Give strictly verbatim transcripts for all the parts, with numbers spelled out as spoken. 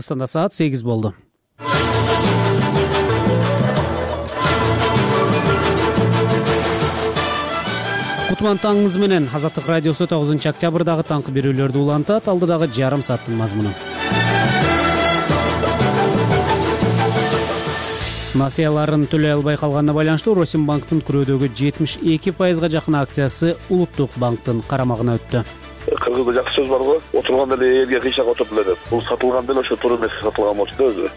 Кыргызстанда саат сегиз болду. Кутман таңыңыз менен. Азаттык радиосу тогузунчу октябрдагы таңкы берүүлөрдү улантат. Алдыдагы жарым сааттын мазмуну. Насыяларын төлөй албай калганына байланыштуу Росимбанктын күрөөдөгү жетимиш эки пайызга жакын акциясы Улуттук банктын карамагына өттү. Кыргызда жакшы сөз барго, отурганда эле элге кыйшак отуруп эле деп. Бул сатылганда эле ошо туура эмес сатылган болчу да өзү.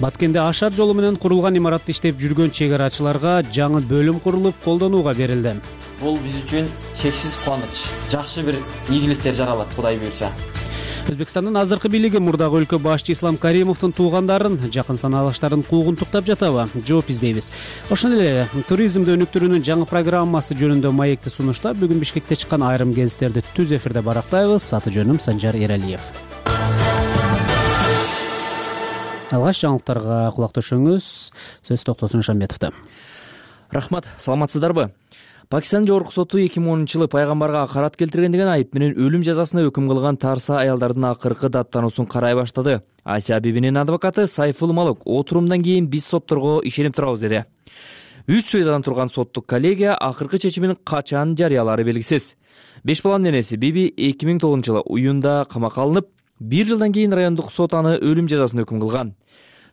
Баткенде Ашар жолу менен курулган имаратта иштеп жүргөн чек арачыларга жаңы бөлүм курулуп колдонууга берилди. Бул биз үчүн чексиз кубаныч. Жакшы бир ийгиликтер жаралат, Кудай буйрса. Өзбекстандын азыркы бийлиги мурдагы өлкө башчы Ислам Каримовдун туугандарын, жакын санаалаштарын куугунтуктап жатабы? Жооп издейбиз. Ошондой эле туризмди өнүктүрүүнүн жаңы программасы жөнүндө маекти сунуштап, бүгүн Бишкекте чыккан айрым гезиттерди түз эфирде барактайбыз. Аты жөнүм Санжар Эралиев. Алгач жаңылыктарга кулак төшөңүз. Сөз Токтосун Шамбетовдо. Рахмат, саламатсыздарбы? Пакистан жогорку соту эки миң онунчу жылы пайгамбарга акарат келтирген деген айып менен өлүм жазасына өкүм кылган тарса аялдардын акыркы даттануусун карай баштады. Асия Бибинин адвокаты Сайфул Малык отурумдан кийин биз сотторго ишенип турабыз деди. Үч сүйдадан турган соттук коллегия акыркы чечимин качан жарыялаары белгисиз. Беш баланын энеси Биби эки миң тогузунчу жылы уюнда камакка алынып, бир жылдан кийин райондук сот аны өлүм жазасына өкүм кылган.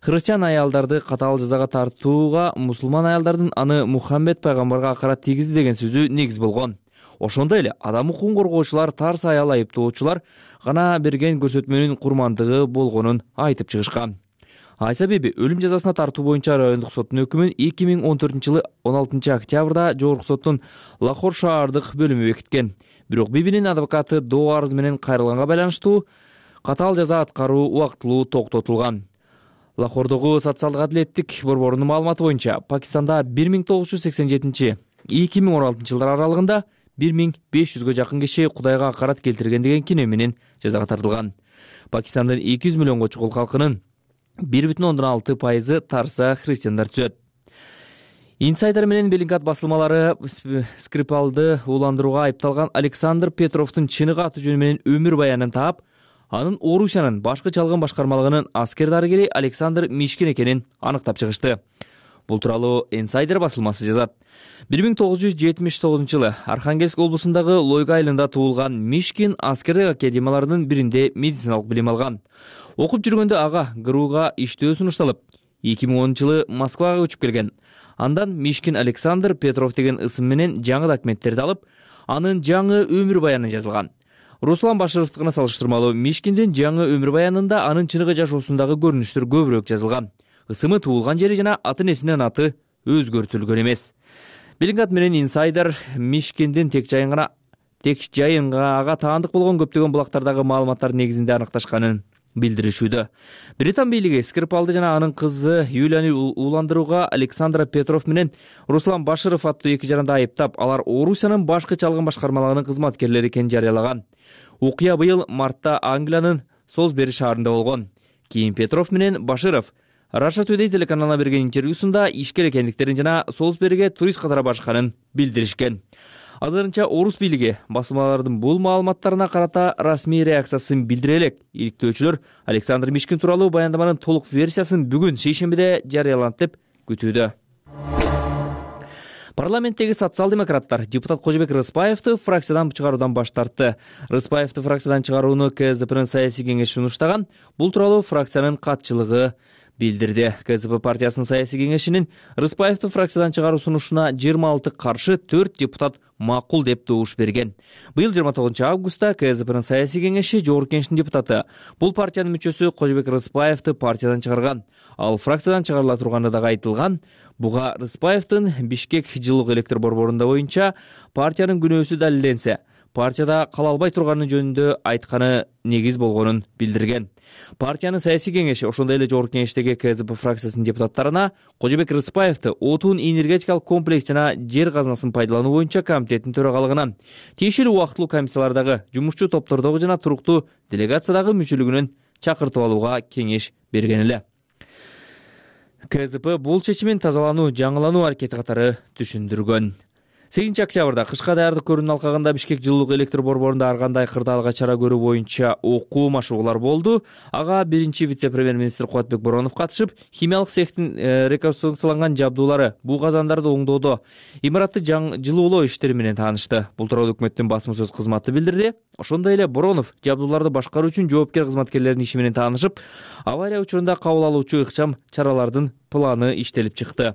Христиан аялдарды катаал жазага тартууга мусулман аялдардын аны Мухаммед пайгамбарга акарат тийгизди деген сөзү негиз болгон. Ошондой эле адам укугун коргоочулар тарс аял айыптоочулар гана берген көрсөтмөнүн курмандыгы болгонун айтып чыгышкан. Айса Биби өлүм жазасына тартуу боюнча райондук соттун өкүмүн эки миң он төртүнчү жылы он алтынчы октябрда жогорку соттун Лахор шаардык бөлүмү бекиткен. Бирок Бибинин адвокаты доо арыз менен кайрылганга байланыштуу катаал жаза аткаруу убактылуу токтотулган. Лахордогу социалдык адилеттик борборунун маалыматы боюнча Пакистанда бир миң тогуз жүз сексен жетинчи эки миң он алтынчы жылдар аралыгында бир миң беш жүзгө жакын киши Кудайга акарат келтирген деген кине менен жазага тартылган. Пакистандын эки жүз миллионго чукул халкынын бир бүтүн ондон алты пайызы тарса христиандар түзөт. Инсайдер менен Беллингат басылмалары Скрипалды ууландырууга айыпталган Александр Петровдун чыныгы аты жөнү менен өмүр баянын таап, анын Орусиянын башкы чалгын башкармалыгынын аскер дарыгери Александр Мишкин экенин аныктап чыгышты. Бул тууралуу Инсайдер басылмасы жазат. бир миң тогуз жүз жетимиш тогузунчу жылы Архангельск облусундагы Лойга айылында туулган Мишкин аскердик академияларынын биринде медициналык билим алган. Окуп жүргөндө ага ГРУга иштөө сунушталып, эки миң онунчу жылы Москвага көчүп келген. Андан Мишкин Александр Петров деген ысым менен жаңы документтерди алып, анын жаңы өмүр баяны жазылган. Руслан Башыровдукуна салыштырмалуу Мишкиндин жаңы өмүр баянында анын чыныгы жашоосундагы көрүнүштөр көбүрөөк жазылган. Ысымы туулган жери жана аты энесинин аты өзгөртүлгөн эмес. Беллингат менен Инсайдер Мишкиндин тек жайын гана тек жайынга ага таандык болгон көптөгөн булактардагы маалыматтар негизинде аныкташканын билдиришүүдө. Британ бийлиги Скрипалды жана анын кызы Юлияны ууландырууга Александр Петров менен Руслан Башыров аттуу эки жаранды айыптап, алар Орусиянын башкы чалгын башкармалыгынын кызматкерлери экенин жарыялаган. Окуя быйыл мартта Англиянын Солсбери шаарында болгон. Кийин Петров менен Башыров Russia Today телеканалына берген интервьюсунда ишкер экендиктерин жана Солсбериге турист катары барышканын билдиришкен. Азырынча орус бийлиги басылмалардын бул маалыматтарына карата расмий реакциясын билдире элек. Иликтөөчүлөр Александр Мишкин тууралуу баяндаманын толук версиясын бүгүн шейшембиде жарыяланат деп күтүүдө. Парламенттеги социал-демократтар депутат Кожобек Рыспаевди фракциядан чыгаруудан баш тартты. Рыспаевди фракциядан чыгарууну КСДПнын саясий кеңеши сунуштаган. Бул тууралуу фракциянын катчылыгы билдирди. КСДП партиясынын саясий кеңешинин Рыспаевди фракциядан чыгаруу сунушуна жыйырма алты каршы, төрт депутат макул деп добуш берген. Быйыл жыйырма тогузунчу августта КСДПнын саясий кеңеши жогорку кеңештин депутаты, бул партиянын мүчөсү Кожобек Рыспаевди партиядан чыгарган. Ал фракциядан чыгарыла турганы дагы айтылган. Буга Рыспаевдин Бишкек жылук электр борборунда боюнча партиянын күнөөсү далилденсе, партияда кала албай турганы жөнүндө айтканы негиз болгонун билдирген. Партиянын саясий кеңеши ошондой эле жогорку кеңештеги КСДП фракциясынын депутаттарына Кожобек Рыспаевди отун энергетикалык комплекс жана жер казынасын пайдалануу боюнча комитеттин төрагалыгынан, тиешелүү убактылуу комиссиялардагы, жумушчу топтордогу жана туруктуу делегациядагы мүчөлүгүнөн чакыртып алууга кеңеш берген эле. КСДП бул чечимин тазалануу, жаңылануу аракети катары түшүндүргөн. сегизинчи октябрда кышка даярдык көрүүнүн алкагында Бишкек жылуулук электр борборунда ар кандай кырдаалга чара көрүү боюнча окуу машыгуулар болду. Ага биринчи вице-премьер-министр Кубатбек Боронов катышып, химиялык цехтин реконструкцияланган жабдуулары, буу казандарды оңдоодо имаратты жылуулоо иштери менен таанышты. Бул тууралуу өкмөттүн басма сөз кызматы билдирди. Ошондой эле Боронов жабдууларды башкаруу үчүн жоопкер кызматкерлердин иши менен таанышып, авария учурунда кабыл алуучу ыкчам чаралардын планы иштелип чыкты.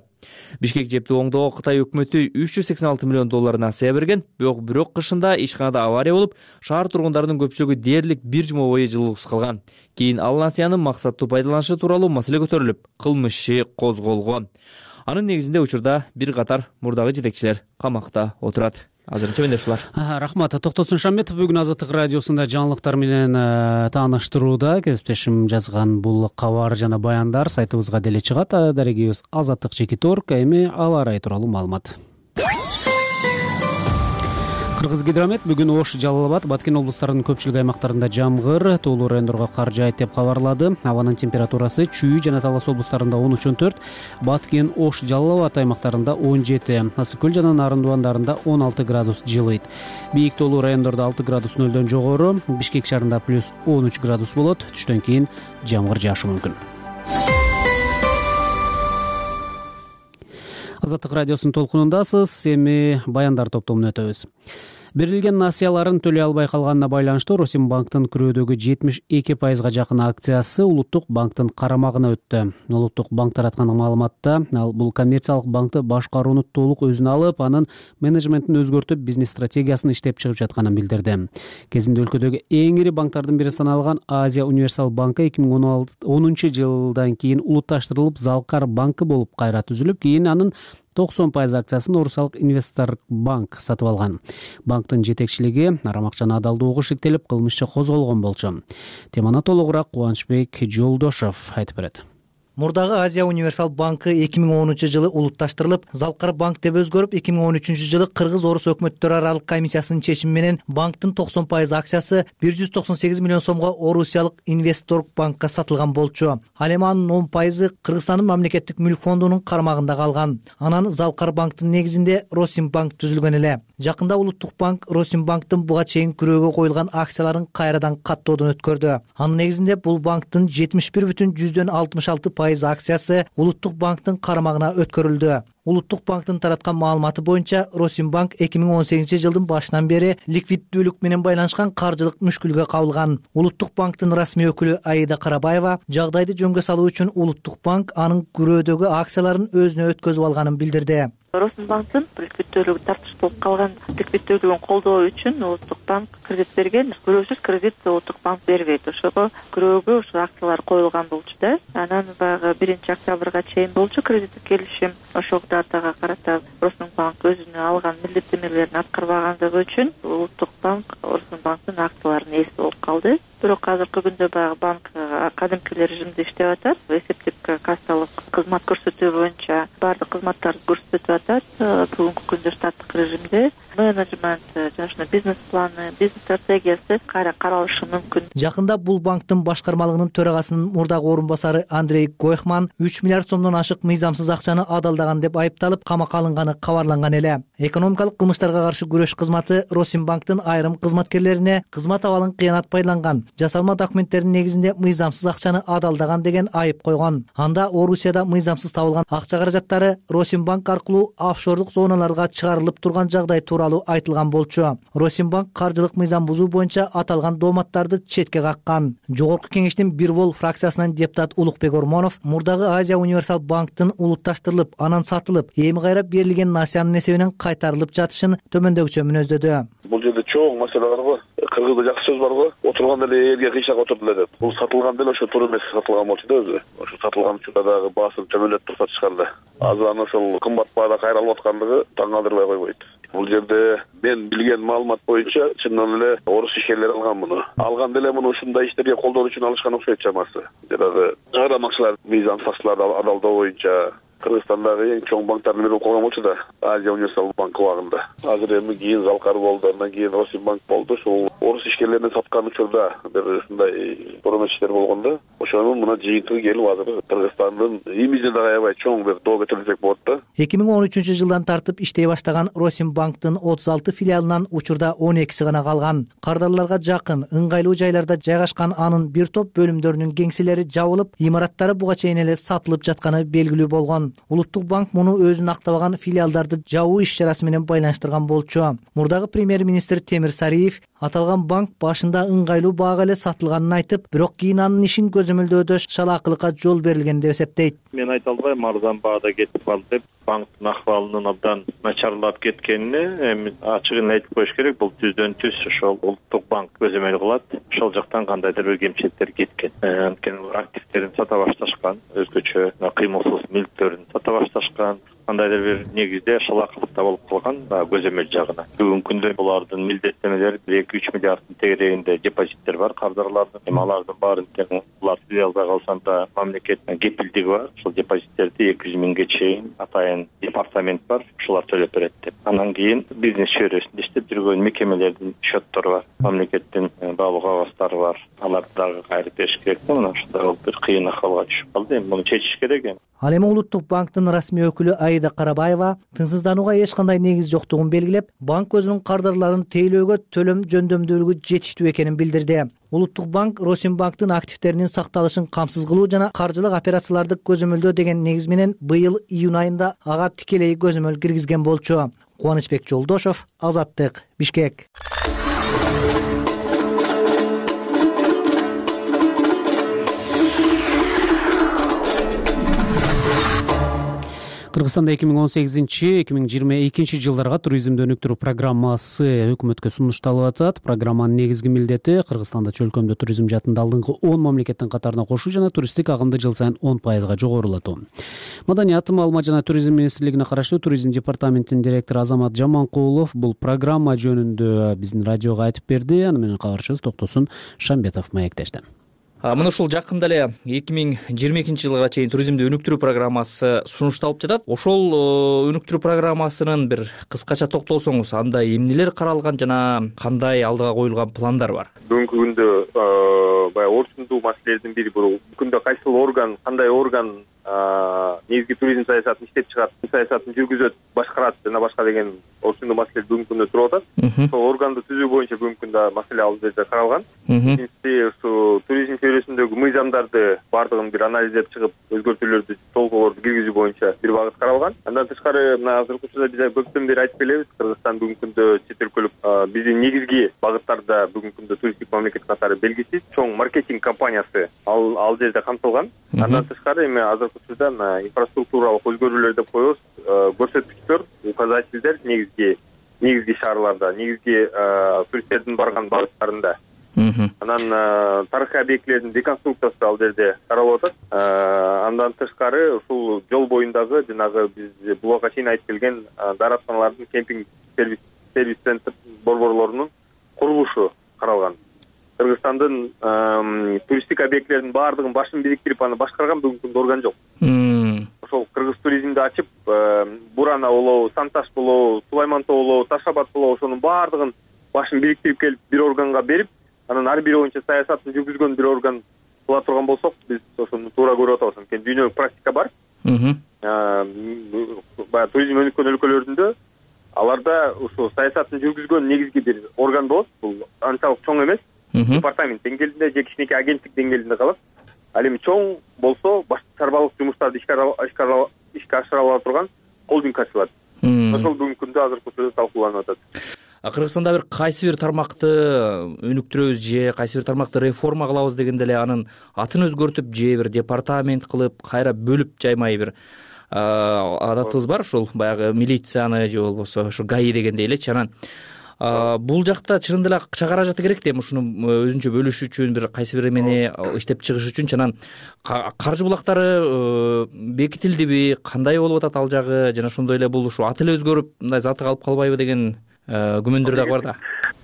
Бишкек жепти оңдоого Кытай өкмөтү үч жүз сексен алты миллион доллар насыя берген. Бирок бирок кышында ишканада авария болуп, шаар тургундарынын көпчүлүгү дээрлик бир жума бою жылуусуз калган. Кийин ал насыянын максаттуу пайдаланышы тууралуу маселе көтөрүлүп, кылмыш иши козголгон. Анын негизинде учурда бир катар мурдагы жетекчилер камакта отурат. Азырынча менде ушулар. Рахмат. Токтосун Шамбетов бүгүн Азаттык радиосунда жаңылыктар менен тааныштырууда. Кесиптешим жазган бул кабар жана баяндар сайтыбызга деле чыгат. Дарегибиз азаттык чекит точка орг. Эми аба ырайы тууралуу маалымат. Кыргызгидромет бүгүн Ош, Жалал Абад, Баткен облустарынын көпчүлүк аймактарында жамгыр, тоолуу райондорго кар жаайт деп кабарлады. Абанын температурасы Чүй жана Талас облустарында он үч он төрт, Баткен, Ош, Жалал Абад аймактарында он жети, Ысык көл жана Нарындыбандарында он алты градус жылыйт. Бийик тоолуу райондордо алты градус нөлдөн жогору, Бишкек шаарында плюс он үч градус болот. Түштөн кийин жамгыр жаашы мүмкүн. Азаттык радиосунун толкунундасыз. Эми баяндар топтомуна өтөбүз. Берилген насыяларын төлөй албай калганына байланыштуу Росимбанктын күрөөдөгү жетимиш эки пайызга жакын акциясы Улуттук банктын карамагына өттү. Улуттук банк тараткан маалыматта ал бул коммерциялык банкты башкарууну толук өзүнө алып, анын менеджментин өзгөртүп, бизнес стратегиясын иштеп чыгып жатканын билдирди. Кезинде өлкөдөгү эң ири банктардын бири саналган Азия Универсал банкы эки миң онунчу жылдан кийин улутташтырылып, Залкар банкы болуп кайра түзүлүп, кийин анын токсон пайыз акциясын Орусиялык Инвестор банк сатып алган. Банктын жетекчилиги арамакчаны адалдоого шектелип, кылмыш козголгон болчу. Теманы толугураак Кубанычбек Жолдошов айтып берет. Мурдагы Азия Универсал банкы эки миң онунчу жылы улутташтырылып, Залкар банк деп өзгөрүп, эки миң он үчүнчү жылы Кыргыз-Орус өкмөттөр аралык комиссиясынын чечими менен банктын токсон пайыз акциясы бир жүз токсон сегиз миллион сомго Орусиялык Инвестор банкка сатылган болчу. Ал эми анын он пайызы Кыргызстандын мамлекеттик мүлк фондунун кармагында калган. Анан Залкар банктын негизинде Росимбанк түзүлгөн эле. Жакында Улуттук банк Росимбанктын буга чейин күрөөгө коюлган акцияларын кайрадан каттоодон өткөрдү. Анын негизинде бул банктын жетимиш бир бүтүн жүздөн алтымыш алты пайыз акциясы Улуттук банктын карамагына өткөрүлдү. Улуттук банктын тараткан маалыматы боюнча Росимбанк эки миң он сегизинчи жылдын башынан бери ликвиддүүлүк менен байланышкан каржылык мүшкүлгө кабылган. Улуттук банктын расмий өкүлү Аида Карабаева жагдайды жөнгө салуу үчүн Улуттук банк анын күрөөдөгү акцияларын өзүнө өткөзүп алганын билдирди. Росимбанктын ликвиддүүлүгү тартыш болуп калган ликвиддүүлүгүн колдоо үчүн Улуттук банк кредит берген. Күрөөсүз кредит Улуттук банк бербейт. Ошого күрөөгө ушул акциялар коюлган болчу да. Анан баягы биринчи октябрга чейин болчу кредиттик келишим. Ошол датага карата Росимбанк өзүнө алган милдеттенмелерин аткарбагандыгы үчүн Улуттук банк Росимбанктын акцияларын ээси болуп калды. Бирок азыркы күндө баягы банк кадимки режимде иштеп атат. Эсептик кассалык кызмат көрсөтүү боюнча баардык кызматтарды көрсөтүп атат. Бүгүнкү күндө штаттык режимде менеджмент жана бизнес планы, бизнес стратегиясы кайра каралышы мүмкүн. Жакында бул банктын башкармалыгынын төрагасынын мурдагы орун басары Андрей Гойхман үч миллиард сомдон ашык мыйзамсыз акчаны адалдаган деп айыпталып, камакка алынганы кабарланган эле. Экономикалык кылмыштарга каршы күрөш кызматы Росимбанктын айрым кызматкерлерине кызмат абалын кыянат пайдаланган, жасалма документтердин негизинде мыйзамсыз акчаны адалдаган деген айып койгон. Анда Орусияда мыйзамсыз табылган акча каражаттары Росимбанк аркылуу офшордук зоналарга чыгарылып турган жагдай тууралуу айтылган болчу. Росимбанк каржылык мыйзам бузуу боюнча аталган дооматтарды четке каккан. Жогорку кеңештин бир бол фракциясынан депутат Улукбек Ормонов мурдагы Азия Универсал банктын улутташтырылып, анан сатылып, эми кайра берилген насыянын эсебинен кайтарылып жатышын төмөндөгүчө мүнөздөдү. Бул жерде чоң маселе бар го. Кыргызда жакшы сөз бар го. Отурганда эле элге кыйшак отурду эле деп. Бул сатылган деле ошо туура эмес сатылган болчу да өзү. Ошо сатылган учурда дагы баасын төмөндөтүп турса чыкканда. Азыр аны ошол кымбат баада кайра алып аткандыгы таң калтырбай койбойт. Бул жерде мен билген маалымат боюнча чындан эле орус ишкерлери алган муну. Алган деле муну ушундай иштерге колдоо үчүн алышкан окшойт чамасы. Жанагы чыгарамакчылар мыйзамсыздыктарды алдоо боюнча Кыргызстандагы эң чоң банктардын бири болуп калган болчу да, Азия Универсал банк убагында. Азыр эми кийин Залкар болду, андан кийин Росимбанк болду. Ушул орус ишкерлерине саткан учурда бир ушундай борборчулар болгондо ошонун мына жыйынтыгы келип азыр Кыргызстандын имиджине дагы аябай чоң бир доо кетири десек болот да. эки миң он үчүнчү жылдан тартып иштей баштаган Росимбанктын отуз алты филиалынан учурда он экиси гана калган. Кардарларга жакын, ыңгайлуу жайларда жайгашкан анын бир топ бөлүмдөрүнүн кеңселери жабылып, имараттары буга чейин эле сатылып жатканы белгилүү болгон. Улуттук банк муну өзүн актабаган филиалдарды жабуу иш-чарасы менен байланыштырган болчу. Мурдагы премьер-министр Темир Сариев аталган банк башында ыңгайлуу баага эле сатылганын айтып, бирок кийин анын ишин көзөмөлдөөдө шалаакылыкка жол берилген деп эсептейт. Мен айта албайм арзан баада кетип калды деп. Банктын акыбалынын абдан начарлап кеткенине эми ачыгын айтып коюш керек. Бул түздөн түз ошол улуттук банк көзөмөл кылат. Ошол жактан кандайдыр бир кемчиликтер кеткен. Анткени активдерин сата башташкан, өзгөчө кыймылсыз мүлктөрүн сата башташкан. Кандайдыр бир негизде шалаакылыкта болуп калган көзөмөл жагына. Бүгүнкү күндө булардын милдеттенмелери эки үч миллиарддын тегерегинде депозиттер бар кардарлардын. Эми алардын баарын тең булар филиалда калсанда мамлекет кепилдиги бар. Ошол депозиттерди эки жүз миңге чейин атайын департамент бар, ошолар төлөп берет деп. Андан кийин бизнес чөйрөсүндө иштеп жүргөн мекемелердин счеттору бар, мамлекеттин баалуу кагазтары бар. Аларды дагы кайрып бериш керек да. Мына ушундай бир кыйын акыбалга түшүп калды. Эми муну чечиш керек эми. Ал эми Улуттук банктын расмий өкүлү Аида Карабаева тынчсызданууга эч кандай негиз жоктугун белгилеп, банк өзүнүн кардарларын тейлөөгө төлөм жөндөмдүүлүгү жетиштүү экенин билдирди. Улуттук банк Росимбанктын активдеринин сакталышын камсыз кылуу жана каржылык операцияларды көзөмөлдөө деген негиз менен быйыл июнь айында ага тикелей көзөмөл киргизген болчу. Кубанычбек Жолдошов, Азаттык, Бишкек. Кыргызстанда эки миң он сегизинчи эки миң жыйырма экинчи жылдарга туризмди өнүктүрүү программасы өкмөткө сунушталып атат. Программанын негизги милдети Кыргызстанда чөлкөмдө туризм жаатында алдыңкы он мамлекеттин катарына кошуу жана туристтик агымды жыл сайын он пайызга жогорулатуу. Маданият, маалымат жана туризм министрлигине караштуу туризм департаментинин директору Азамат Жаманкулов бул программа жөнүндө биздин радиого айтып берди. Аны менен кабарчыбыз Токтосун Шамбетов маектешти. Мына ушул жакында эле эки миң жыйырма экинчи жылга чейин туризмди өнүктүрүү программасы сунушталып жатат. Ошол өнүктүрүү программасынын бир кыскача токтолсоңуз, анда эмнелер каралган жана кандай алдыга коюлган пландар бар? Бүгүнкү күндө баягы орчундуу маселелердин бири бул. Күндө кайсыл орган, кандай орган негизги туризм саясатын иштеп чыгат, саясатын жүргүзөт, башкарат жана башка деген орчундуу маселе бүгүнкү күндө туруп атат. Ошол органды түзүү боюнча бүгүнкү күндө маселе ал жерде каралган. Биринчиси ушу туризм чөйрөсүндөгү мыйзамдарды баардыгын бир анализдеп чыгып, өзгөртүүлөрдү, толуктоолорду киргизүү боюнча бир багыт каралган. Андан тышкары мына азыркы учурда биз көптөн бери айтып келебиз, Кыргызстан бүгүнкү күндө чет өлкөлүк биздин негизги багыттарда бүгүнкү күндө туристтик мамлекет катары белгисиз чоң маркетинг компаниясы ал ал жерде камтылган. Андан тышкары эми азыркы учурда инфраструктуралык өзгөрүүлөр деп коебуз, көрсөткүчтөр, указательдер негизги негизги шаарларда, негизги туристтердин барган багыттарында. Анан тарыхый объектилердин реконструкциясы ал жерде каралып атат. Андан тышкары ушул жол боюндагы жанагы биз буга чейин айтып келген дааратканалардын кемпинг сервис сервис центр борборлорунун курулушу каралган. Кыргызстандын туристтик объектилердин баардыгын башын бириктирип аны башкарган бүгүнкү күндө орган жок. Ошол кыргыз туризмди ачып, Бурана болобу, Санташ болобу, Сулаймантоо болобу, Таш абад болобу, ошонун баардыгын башын бириктирип келип бир органга берип, анан ар бири боюнча саясатын жүргүзгөн бир орган кыла турган болсок, биз ошону туура көрүп атабыз. Анткени дүйнөлүк практика бар. Баягы туризм өнүккөн өлкөлөрүндө аларда ушул саясатын жүргүзгөн негизги бир орган болот. Бул анчалык чоң эмес. Департамент деңгээлинде же кичинекей агенттик деңгээлинде калат. Ал эми чоң болсо башка чарбалык жумуштарды ишке ашыра ала турган холдинг ачылат. Ошол бүгүнкү күндө азыркы учурда талкууланып атат. Кыргызстанда бир кайсы бир тармакты өнүктүрөбүз же кайсы бир тармакты реформа кылабыз дегенде эле анын атын өзгөртүп же бир департамент кылып, кайра бөлүп жаймай бир адатыбыз бар, ушул баягы милицияны же болбосо ушу ГАИ дегендей элечи. Анан бул жакта чынында эле акча каражаты керек да, эми ушуну өзүнчө бөлүш үчүн, бир кайсы бир эмени иштеп чыгыш үчүн. Анан каржы булактары бекитилдиби, кандай болуп атат ал жагы, жана ошондой эле бул ушу аты эле өзгөрүп мындай заты калып калбайбы деген күмөндөр дагы бар да.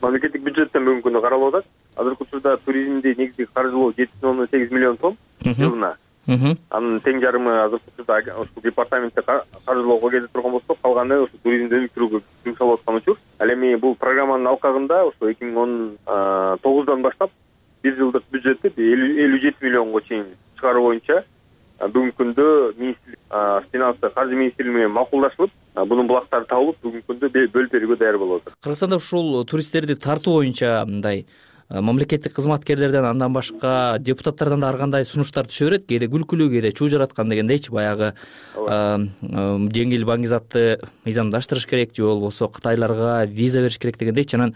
Мамлекеттик бюджеттен бүгүнкү күндө каралып атат. Азыркы учурда туризмди негизги каржылоо жети бүтүн ондон сегиз миллион сом жылына. Анын тең жарымы азыркы учурда ушул департаментте каржылоого кетип турган болсо, калганы ушу туризмди өнүктүрүүгө жумшалып аткан учур. Ал эми бул программанын алкагында ошо эки миң он тогуздан баштап бир жылдык бюджетти элүү жети миллионго чейин чыгаруу боюнча бүгүнкү күндө министрлик финансы каржы министрлиги менен макулдашылып, бунун булактары табылып, бүгүнкү күндө бөлүп берүүгө даяр болуп атат. Кыргызстанда ушул туристтерди тартуу боюнча мындай мамлекеттик кызматкерлерден, андан башка депутаттардан да ар кандай сунуштар түшө берет. Кээде күлкүлүү, кээде чуу жараткан дегендейчи, баягы жеңил баңгизатты мыйзамдаштырыш керек же болбосо кытайларга виза бериш керек дегендейчи. Анан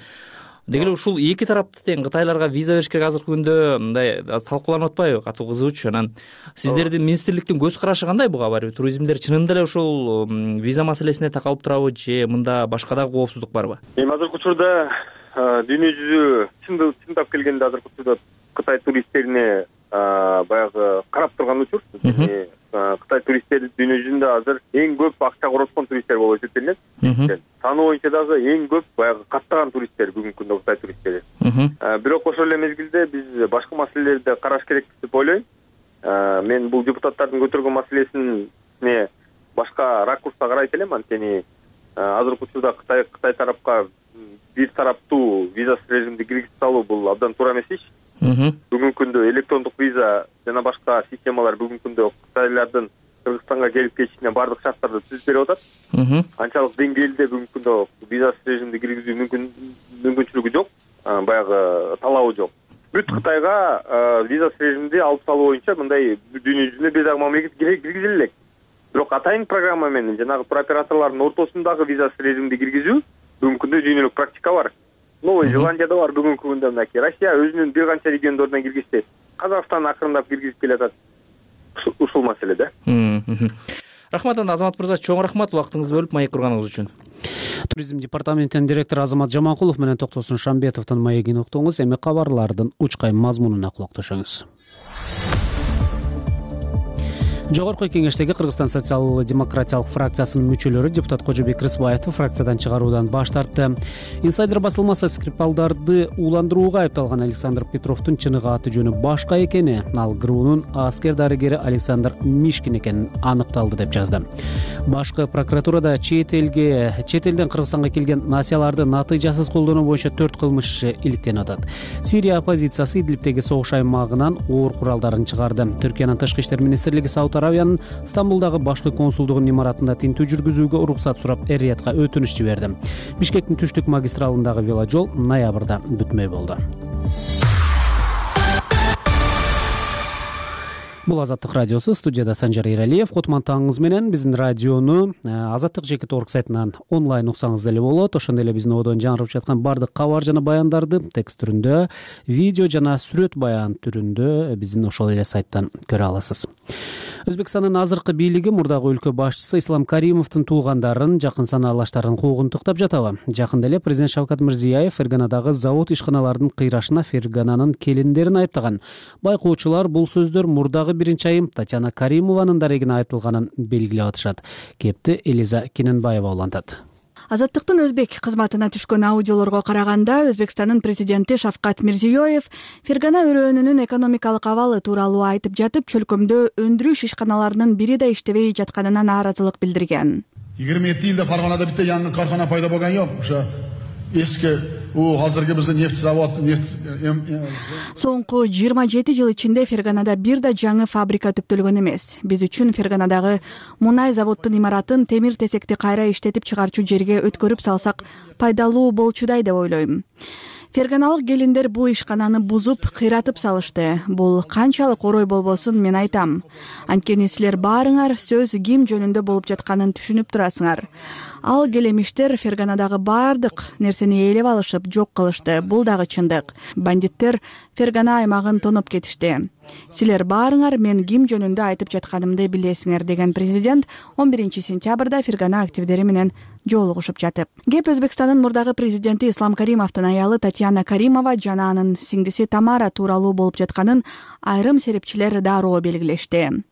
деги эле ушул эки тарапты тең кытайларга виза бериш керек азыркы күндө мындай талкууланып атпайбы, катуу кызуучу. Анан сиздердин министрликтин көз карашы кандай буга? Барбы туризмдер чынында эле ушул виза маселесине такалып турабы же мында башка дагы коопсуздук барбы? Эми азыркы учурда дүйнө жүзү чындап келгенде азыркы учурда Кытай туристтерине баягы карап турган учур. Кытай туристтери дүйнө жүзүндө азыр эң көп акча короткон туристтер болуп эсептелинет. Саны боюнча дагы эң көп баягы каттаган туристтер бүгүнкү күндө Кытай туристтери. Бирок ошол эле мезгилде биз башка маселелерди караш керек деп ойлойм. Мен бул депутаттардын көтөргөн маселесине башка ракурста карайт элем. Анткени азыркы учурда Кытай Кытай тарапка бир тараптуу визасыз режимди киргизип салуу бул абдан туура эмес иш. Бүгүнкү күндө электрондук виза жана башка системалар бүгүнкү күндө кытайлардын Кыргызстанга келип кетишине баардык шарттарды түзүп берип атат. Анчалык деңгээлде бүгүнкү күндө визасыз режимди киргизүү мүмкүнчүлүгү жок, баягы талабы жок. Бүт Кытайга визасыз режимди алып салуу боюнча мындай дүйнө жүзүндө бир дагы мамлекет киргизиле элек. Бирок атайын программа менен жанагы туроператорлордун ортосундагы визасыз режимди киргизүү бүгүнкү күндө дүйнөлүк практика бар. Новый Зеландияда бар бүгүнкү күндө, мынакей Россия өзүнүн бир канча региондорунан киргизди. Казакстан акырындап киргизип келатат. Ушул маселе да. Рахмат, Азамат мырза, чоң рахмат убактыңызды бөлүп маек курганыңыз үчүн. Туризм департаментинин директору Азамат Жаманкулов менен Токтосун Шамбетовдун маегин уктуңуз. Эми кабарлардын учкай мазмунуна кулакташыңыз. Жогорку кеңештеги Кыргызстан социал-демократиялык фракциясынын мүчөлөрү депутат Кожобек Рыспаевди фракциядан чыгаруудан баш тартты. Инсайдер басылмасы Скрипалдарды ууландырууга айыпталган Александр Петровдун чыныгы аты жөнү башка экени, ал ГРУнун аскер дарыгери Александр Мишкин экени аныкталды деп жазды. Башкы прокуратурада чет элге чет элден Кыргызстанга келген насияларды натыйжасыз колдонуу боюнча төрт кылмыш иликтенип атат. Сирия оппозициясы Идлибтеги согуш аймагынан оор куралдарын чыгарды. Түркиянын тышкы иштер министрлиги Сауд Арабиянын Стамбулдагы башкы консулдугунун имаратында тинтүү жүргүзүүгө уруксат сурап Эр-Риядга өтүнүч жиберди. Бишкектин түштүк магистралындагы веложол ноябрда бүтмөй болду. Бул Азаттык радиосу, студияда Санжар Эралиев. Кутмантаңыз менен биздин радиону азаттык жеке точка орг сайтынан онлайн уксаңыз деле болот. Ошондой эле биздин одон жаңырып жаткан бардык кабар жана баяндарды текст түрүндө, видео жана сүрөт баян түрүндө биздин ошол эле сайттан көрө аласыз. Өзбекстандын азыркы бийлиги мурдагы өлкө башчысы Ислам Каримовдун туугандарын, жакын санаалаштарын куугунтуктап жатабы? Жакында эле президент Шавкат Мирзиёев Ферганадагы завод ишканалардын кыйрашына Фергананын келиндерин айыптаган. Байкоочулар бул сөздөр мурдагы биринчи айым Татьяна Каримованын дарегине айтылганын белгилеп атышат. Кепти Элиза Кененбаева улантат. Азаттыктын өзбек кызматына түшкөн аудиолорго караганда, Өзбекстандын президенти Шавкат Мирзиёев Фергана өрөөнүнүн экономикалык абалы тууралуу айтып жатып, чөлкөмдө өндүрүш ишканаларынын бири да иштебей жатканына нааразылык билдирген. yigirma yetti yilda Farg'onada bitta yangi korxona paydo bo'lgan yo'q. O'sha eski u hozirgi bizning neft zavod neft Соңку жыйырма жети жыл ичинде Ферганада бир да жаңы фабрика түптөлгөн эмес. Биз үчүн Ферганадагы мунай заводдун имаратын темир тесекти кайра иштетип чыгарчу жерге өткөрүп салсак пайдалуу болчудай деп ойлойм. Ферганалык келиндер бул ишкананы бузуп, кыйратып салышты. Бул канчалык орой болбосун мен айтам. Анткени силер баарыңар сөз ким жөнүндө болуп жатканын түшүнүп турасыңар. Ал келемиштер Ферганадагы баардык нерсени ээлеп алышып, жок кылышты. Бул дагы чындык. Бандиттер Фергана аймагын тоноп кетишти. Силер баарыңар мен ким жөнүндө айтып жатканымды билесиңер, деген президент он биринчи сентябрда Фергана активдери менен жолугушуп жатып. Кеп Өзбекстандын мурдагы президенти Ислам Каримовдун аялы Татьяна Каримова жана анын сиңдиси Тамара тууралуу болуп жатканын айрым серепчилер дароо белгилешти.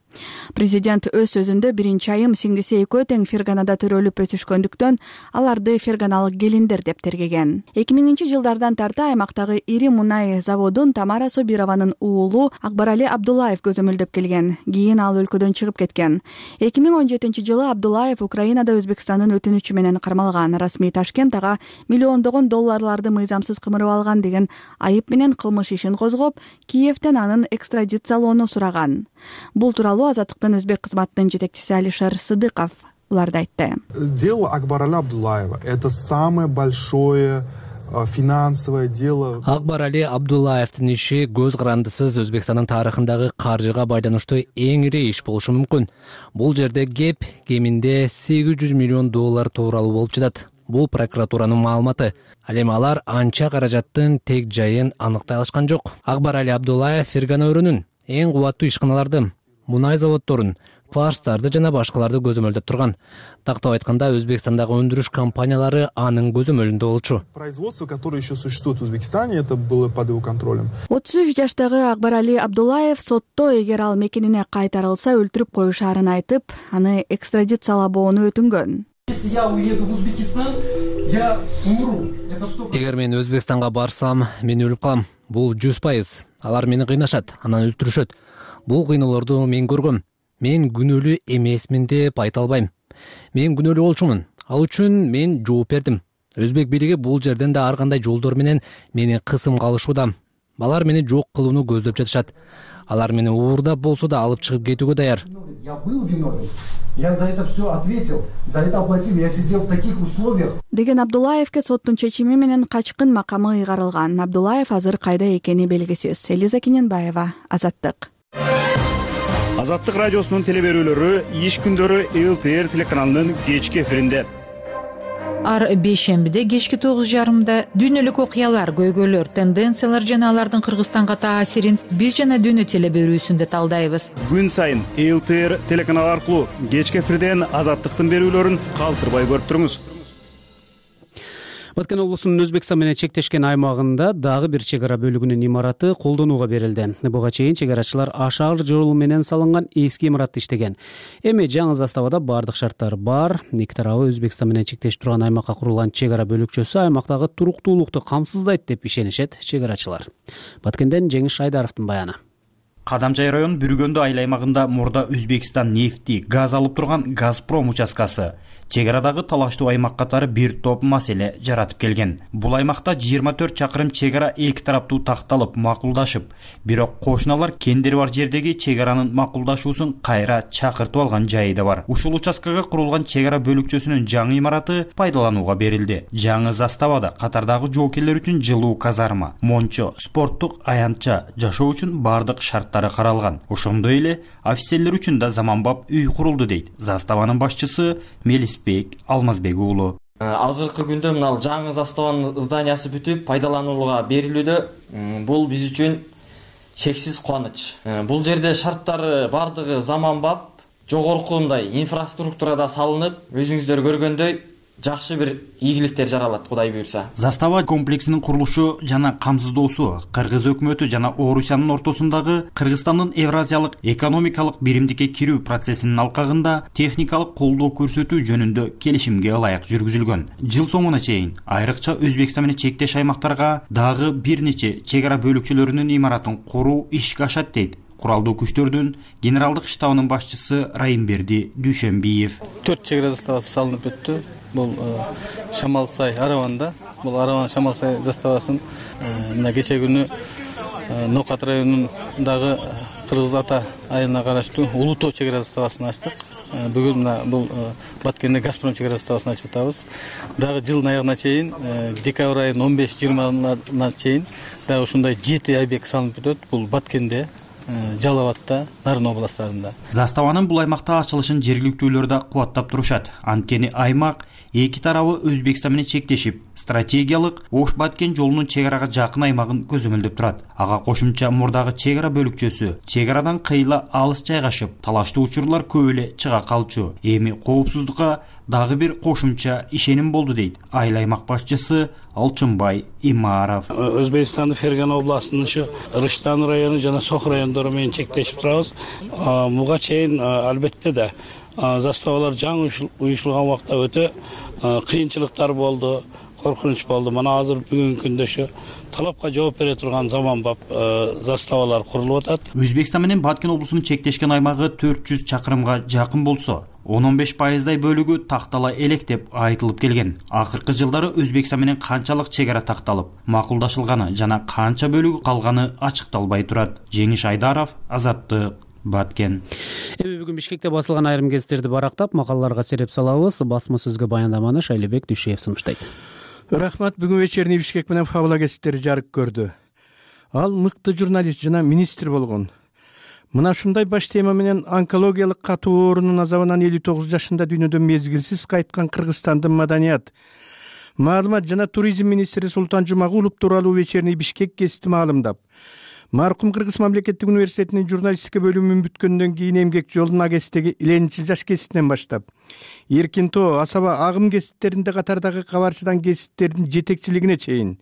Президент өз сөзүндө биринчи айым сиңдиси экөө тең Ферганада төрөлүп өсүшкөндүктөн аларды ферганалык келиндер деп тергеген. эки миңинчи жылдардан тарта аймактагы ири мунай заводун Тамара Собированын уулу Акбарали Абдуллаев көзөмөлдөп келген. Кийин ал өлкөдөн чыгып кеткен. эки миң он жетинчи жылы Абдуллаев Украинада Өзбекстандын өтүнүчү менен кармалган. Расмий Ташкент ага миллиондогон долларларды мыйзамсыз кымырып алган деген айып менен кылмыш ишин козгоп, Киевден анын экстрадициялоону сураган. Бул тууралуу Азаттыктын өзбек кызматынын жетекчиси Алишер Сыдыков буларды айтты. Дело Акбарали Абдуллаева — это самое большое финансовое дело. Акбарали Абдуллаевдин иши көз карандысыз Өзбекстандын тарыхындагы каржыга байланыштуу эң ири иш болушу мүмкүн. Бул жерде кеп кеминде сегиз жүз миллион доллар тууралуу болуп жатат. Бул прокуратуранын маалыматы. Ал эми алар анча каражаттын тег жайын аныктай алышкан жок. Акбарали Абдуллаев Фергана өрүнүн эң кубаттуу ишканаларды, мунай заводдорун, фарстарды жана башкаларды көзөмөлдөп турган. Тактап айтканда, Өзбекстандагы өндүрүш компаниялары анын көзөмөлүндө болчу. Производство, которое еще существует в Узбекистане, это было под его контролем. отуз үч жаштагы Акбарали Абдуллаев сотто эгер ал мекенине кайтарылса өлтүрүп коюшаарын айтып, аны экстрадициялабоону өтүнгөн. Если я уеду в Узбекистан, я умру. Эгер мен Өзбекстанга барсам, мен өлүп калам. Бул жүз пайыз. Алар мени кыйнашат, анан өлтүрүшөт. Бул кыйноолорду мен көргөм. Мен күнөөлүү эмесмин деп айта албайм. Мен күнөөлүү болчумун. Ал үчүн мен жооп бердим. Өзбек бийлиги бул жерден да ар кандай жолдор менен мени кысымга алышууда. Алар мени жок кылууну көздөп жатышат. Алар мени уурдап болсо да алып чыгып кетүүгө даяр. Я был виновен. Я за это все ответил. За это оплатил. Я сидел в таких условиях. Деген Абдуллаевке соттун чечими менен качкын макамы ыйгарылган. Абдуллаев азыр кайда экени белгисиз. Элиза Кененбаева, Азаттык. Азаттык радиосунун теле берүүлөрү иш күндөрү эл тэ эр телеканалынын кечки эфиринде. Ар бейшембиде кечки тогуз жарымда дүйнөлүк окуялар, көйгөйлөр, тенденциялар жана алардын Кыргызстанга таасирин биз жана дүйнө теле берүүсүндө талдайбыз. Күн сайын эл тэ эр телеканалы аркылуу кечки эфирден Азаттыктын берүүлөрүн калтырбай көрүп туруңуз. Баткен облусунун Өзбекстан менен чектешкен аймагында дагы бир чек ара бөлүгүнүн имараты колдонууга берилди. Буга чейин чек арачылар ашар жол менен салынган эски имаратта иштеген. Эми жаңы заставада бардык шарттар бар. Эки тарабы Өзбекстан менен чектешип турган аймакка курулган чек ара бөлүкчөсү аймактагы туруктуулукту камсыздайт деп ишенишет чек арачылар. Баткенден Жеңиш Айдаровдун баяны. Кадамжай район Бүргөндө айыл аймагында мурда Өзбекстан нефти, газ алып турган Газпром участкасы чек арадагы талаштуу аймак катары бир топ маселе жаратып келген. Бул аймакта жыйырма төрт чакырым чек ара эки тараптуу такталып, макулдашып, бирок кошуналар кендери бар жердеги чек аранын макулдашуусун кайра чакыртып алган жайы да бар. Ушул участкага курулган чек ара бөлүкчөсүнүн жаңы имараты пайдаланууга берилди. Жаңы заставада катардагы жоокерлер үчүн жылуу казарма, мончо, спорттук аянтча жашоо үчүн бардык шарттары каралган. Ошондой эле офицерлер үчүн да заманбап үй курулду дейт заставанын башчысы Мелис Алмазбек уулу. Азыркы күндө мына жаңы заставанын зданиясы бүтүп пайдаланууга берилүүдө. Бул биз үчүн чексиз кубаныч. Бул жерде шарттары бардыгы заманбап, жогорку мындай инфраструктурада салынып, өзүңүздөр көргөндөй жакшы бир ийгиликтер жаралат, Кудай буйрса. Застава комплексинин курулушу жана камсыздоосу Кыргыз өкмөтү жана Орусиянын ортосундагы Кыргызстандын Евразиялык экономикалык биримдикке кирүү процессинин алкагында техникалык колдоо көрсөтүү жөнүндө келишимге ылайык жүргүзүлгөн. Жыл соңуна чейин айрыкча Өзбекстан менен чектеш аймактарга дагы бир нече чек ара бөлүкчөлөрүнүн имаратын куруу ишке ашат дейт Куралдуу күчтөрдүн генералдык штабынын башчысы Райымберди Дүйшөнбиев. төрт чек ара заставасы салынып өттү. Бул Шамалсай Араванда, бул Араван Шамалсай заставасын мына кече күнү Нокат районундагы Кыргыз Ата айылына караштуу Улутоо чек ара заставасын ачтык. Бүгүн мына бул Баткенде Газпром чек ара заставасын ачып атабыз. Дагы жылдын аягына чейин, декабрь айынын он беш жыйырмасына чейин дагы ушундай жети объект салынып өтөт. Бул Баткенде, Жалал Абадта, Нарын областарында. Заставанын бул аймакта ачылышын жергиликтүүлөр да кубаттап турушат. Анткени аймак эки тарабы Өзбекстан менен чектешип, стратегиялык Ош Баткен жолунун чек арага жакын аймагын көзөмөлдөп турат. Ага кошумча мурдагы чек ара бөлүкчөсү чек арадан кыйла алыс жайгашып, талаштуу учурлар көп эле чыга калчу. Эми коопсуздукка дагы бир кошумча ишеним болду дейт айыл аймак башчысы Алчынбай Имаров. Өзбекстандын Фергана областынын ушу Рыштан району жана Сох райондору менен чектешип турабыз. Буга чейин албетте да заставалар жаңы уюшулган убакта өтө кыйынчылыктар болду, коркунуч болду. Мына азыр бүгүнкү күндө ушу талапка жооп бере турган заманбап заставалар курулуп атат. Өзбекстан менен Баткен облусунун чектешкен аймагы төрт жүз чакырымга жакын болсо, он беш пайыздай бөлүгү тактала элек деп айтылып келген. Акыркы жылдары Өзбекстан менен канчалык чек ара такталып, макулдашылганы жана канча бөлүгү калганы ачыкталбай турат. Жеңиш Айдаров, Азаттык, Баткен. Эми бүгүн Бишкекте басылган айрым гезиттерди барактап, макалаларга сереп салабыз. Басма сөзгө баяндаманы Шайлебек Дүшеев сунуштайт. Рахмат. Бүгүн вечерний Бишкек менен Фабула гезиттери жарык көрдү. Ал мыкты журналист жана министр болгон. Мына ушундай баш тема менен онкологиялык катуу оорунун азабынан элүү тогуз жашында дүйнөдөн мезгилсиз кайткан Кыргызстандын маданият, маалымат жана туризм министри Султан Жумагулов тууралуу вечерний Бишкек гезити маалымдап, маркум Кыргыз мамлекеттик университетинин журналистика бөлүмүн бүткөндөн кийин эмгек жолун агезиттеги Ленинчил жаш гезитинен баштап, Эркин Тоо, Асаба, Агым гезиттеринде катардагы кабарчыдан гезиттердин жетекчилигине чейин,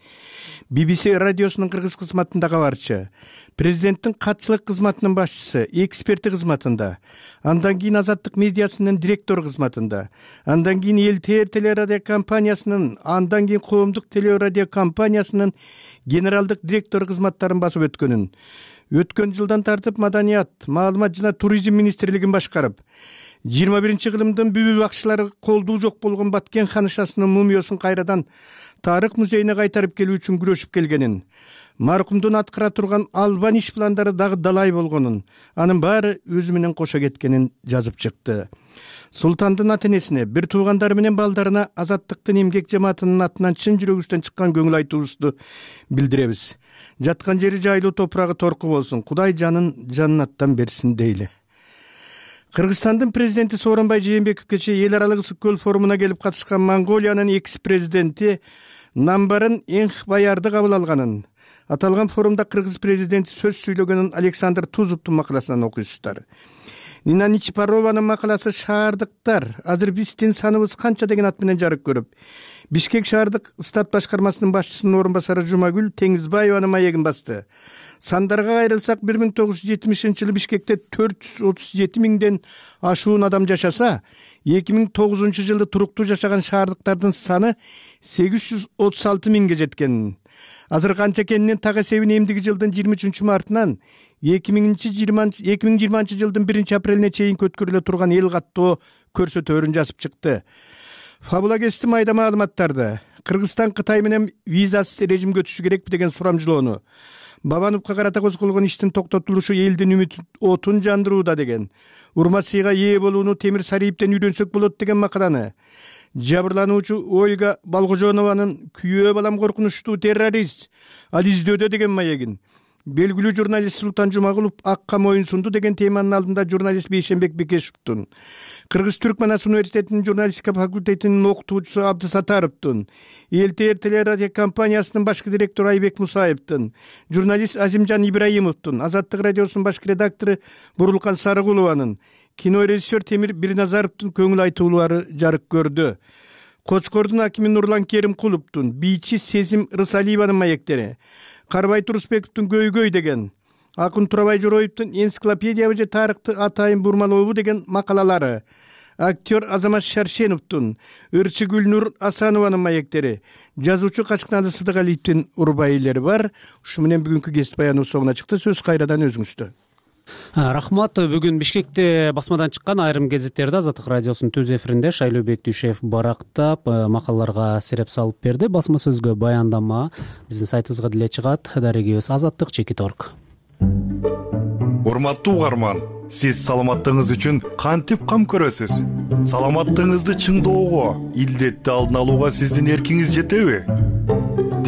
би би си радиосунун кыргыз кызматында кабарчы, президенттин катчылык кызматынын башчысы, эксперти кызматында, андан кийин Азаттык медиасынын директору кызматында, андан кийин Эл Тэ Эр телерадио компаниясынын, андан кийин Коомдук телерадио компаниясынын генералдык директору кызматтарын басып өткөнүн, өткөн жылдан тартып маданият, маалымат жана туризм министрлигин башкарып, жыйырма биринчи кылымдын бүбү бакчылары колдуу жок болгон Баткен ханышасынын мумиосун кайрадан тарых музейине кайтарып келүү үчүн күрөшүп келгенин, маркумдун аткара турган албан иш пландары дагы далай болгонун, анын баары өзү менен кошо кеткенин жазып чыкты. Султандын ата энесине, бир туугандары менен балдарына Азаттыктын эмгек жамаатынын атынан чын жүрөгүбүздөн чыккан көңүл айтуубузду билдиребиз. Жаткан жери жайлуу, топурагы торку болсун. Кудай жанын жаннаттан берсин дейли. Кыргызстандын президенти Сооронбай Жээнбеков кечээ эл аралык ысык көл форумуна келип катышкан Монголиянын экс-президенти Намбарын Энхбаярды кабыл алганын, аталган форумда кыргыз президенти сөз сүйлөгөнүн Александр Тузовдун макаласынан окуйсуздар. Нина Ничипарованын макаласы «Шаардыктар. Азыр биздин саныбыз канча» деген ат менен жарык көрүп, Бишкек шаардык стат башкармасынын башчысынын орун басары Жумагүл Теңизбаеванын маегин басты. Сандарга кайрылсак, бир миң тогуз жүз жетимишинчи жылы Бишкекте төрт жүз отуз жети миңден ашуун адам жашаса, эки миң тогузунчу жылы туруктуу жашаган шаардыктардын саны сегиз жүз отуз алты миңге жеткен. Азыр канча экенинин так эсебин эмдиги жылдын жыйырма үчүнчү мартынан эки миң жыйырманчы жылдын биринчи апрелине чейин өткөрүлө турган эл каттоо көрсөтөөрүн жазып чыкты. Фабула гезити майда маалыматтарды, Кыргызстан Кытай менен визасыз режимге өтүшү керекпи деген сурамжылоону, Бабановго карата козголгон иштин токтотулушу элдин үмүт отун жандырууда деген, урма сыйга ээ болууну Темир Сариевден үйрөнсөк болот деген макаланы, жабырлануучу Ольга Балгожонованын «Күйөө балам коркунучтуу террорист, ал издөөдө» деген маегин, белгилүү журналист Султан Жумагулов акка моюн сунду деген теманын алдында журналист Бейшенбек Бекешевдун, Кыргыз-Түрк Манас университетинин журналистика факультетинин окутуучусу Абдысатаровдун, Эл Тэ Эр телерадио компаниясынын башкы директору Айбек Мусаевдин, журналист Азимжан Ибраимовдун, Азаттык радиосунун башкы редактору Бурулкан Сарыгулованын, кинорежиссер Темир Бирназаровдун көңүл айтуулары жарык көрдү. Кочкордун акими Нурлан Керимкуловдун, бийчи Сезим Рысалиеванын маектери, Карбай Турусбековдун «Көйгөй» деген, Акын Турабай Жороевдун «Энциклопедия же тарыхты атайын бурмалообу» деген макалалары, актер Азамат Шаршеновдун, Ырчы Гүлнур Асанованын маектери, жазуучу Качкназы Сыдыгалиевдин урбайлери бар. Ушу менен бүгүнкү гезит баяныбыз соңуна чыкты. Сөз кайрадан өзүңүздө. Рахмат. Бүгүн Бишкекте басмадан чыккан айрым гезиттерди Азаттык радиосунун түз эфиринде Шайлообек Дүшеев барактап, макалаларга сереп салып берди. Басма сөзгө баяндама биздин сайтыбызга деле чыгат. Дарегибиз азаттык чекит орг. Урматтуу угарман, сиз саламаттыгыңыз үчүн кантип кам көрөсүз? Саламаттыгыңызды чыңдоого, илдетти алдын алууга сиздин эркиңиз жетеби?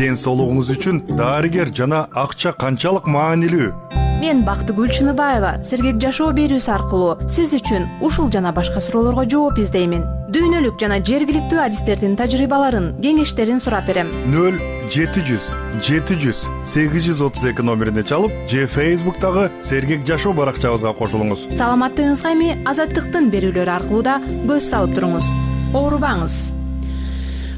Ден соолугуңуз үчүн дарыгер жана акча канчалык маанилүү? мен Бактыгүл Чыныбаева сергек жашоо берүүсү аркылуу сиз үчүн ушул жана башка суроолорго жооп издеймин. Дүйнөлүк жана жергиликтүү адистердин тажрыйбаларын, кеңештерин сурап берем. нөл жети жүз жети жүз сегиз жүз отуз эки номерине чалып же Facebook'тагы сергек жашоо баракчабызга кошулуңуз. Саламаттыгыңызга эми Азаттыктын берүүлөрү аркылуу да көз салып туруңуз. Оорубаңыз.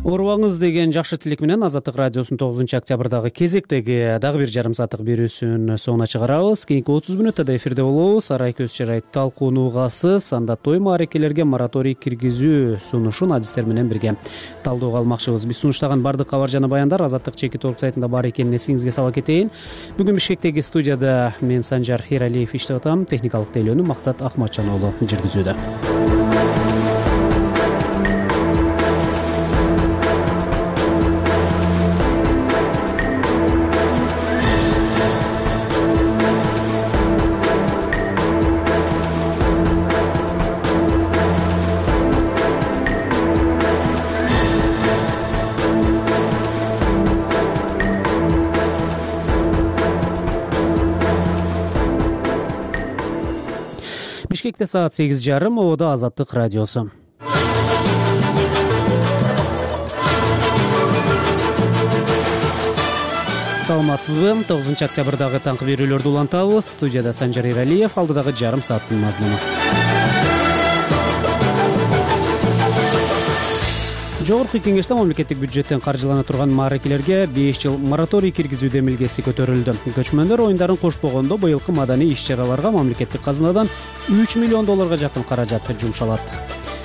Оорубаңыз деген жакшы тилек менен Азаттык радиосунун тогузунчу октябрдагы кезектеги дагы бир жарым сааттык берүүсүн соңуна чыгарабыз. Кийинки отуз мүнөттө да эфирде болобуз. Арай көз жарайт талкуунуугасыз, анда той маарекелерге мораторий киргизүү сунушун адистер менен бирге талдоого алмакчыбыз. Биз сунуштаган бардык кабар жана баяндар Азаттык чекит орг сайтында бар экенин эсиңизге сала кетейин. Бүгүн Бишкектеги студияда мен Санжар Эралиев иштеп атам, техникалык тейлөөнү Максат Ахматжан уулу жүргүзүүдө. Бишкекте саат сегиз жарым, Ободо Азаттык радиосу. Саламатсызбы? тогузунчу октябрдагы таңкы берүүлөрдү улантабыз. Студияда Санжар Эралиев, алдыдагы жарым сааттын мазмуну. Жогорку кеңеште мамлекеттик бюджеттен каржылана турган маарекелерге беш жыл мораторий киргизүү демилгеси көтөрүлдү. Көчмөндөр оюндарын кошпогондо быйылкы маданий иш-чараларга мамлекеттик казынадан үч миллион долларга жакын каражат жумшалат.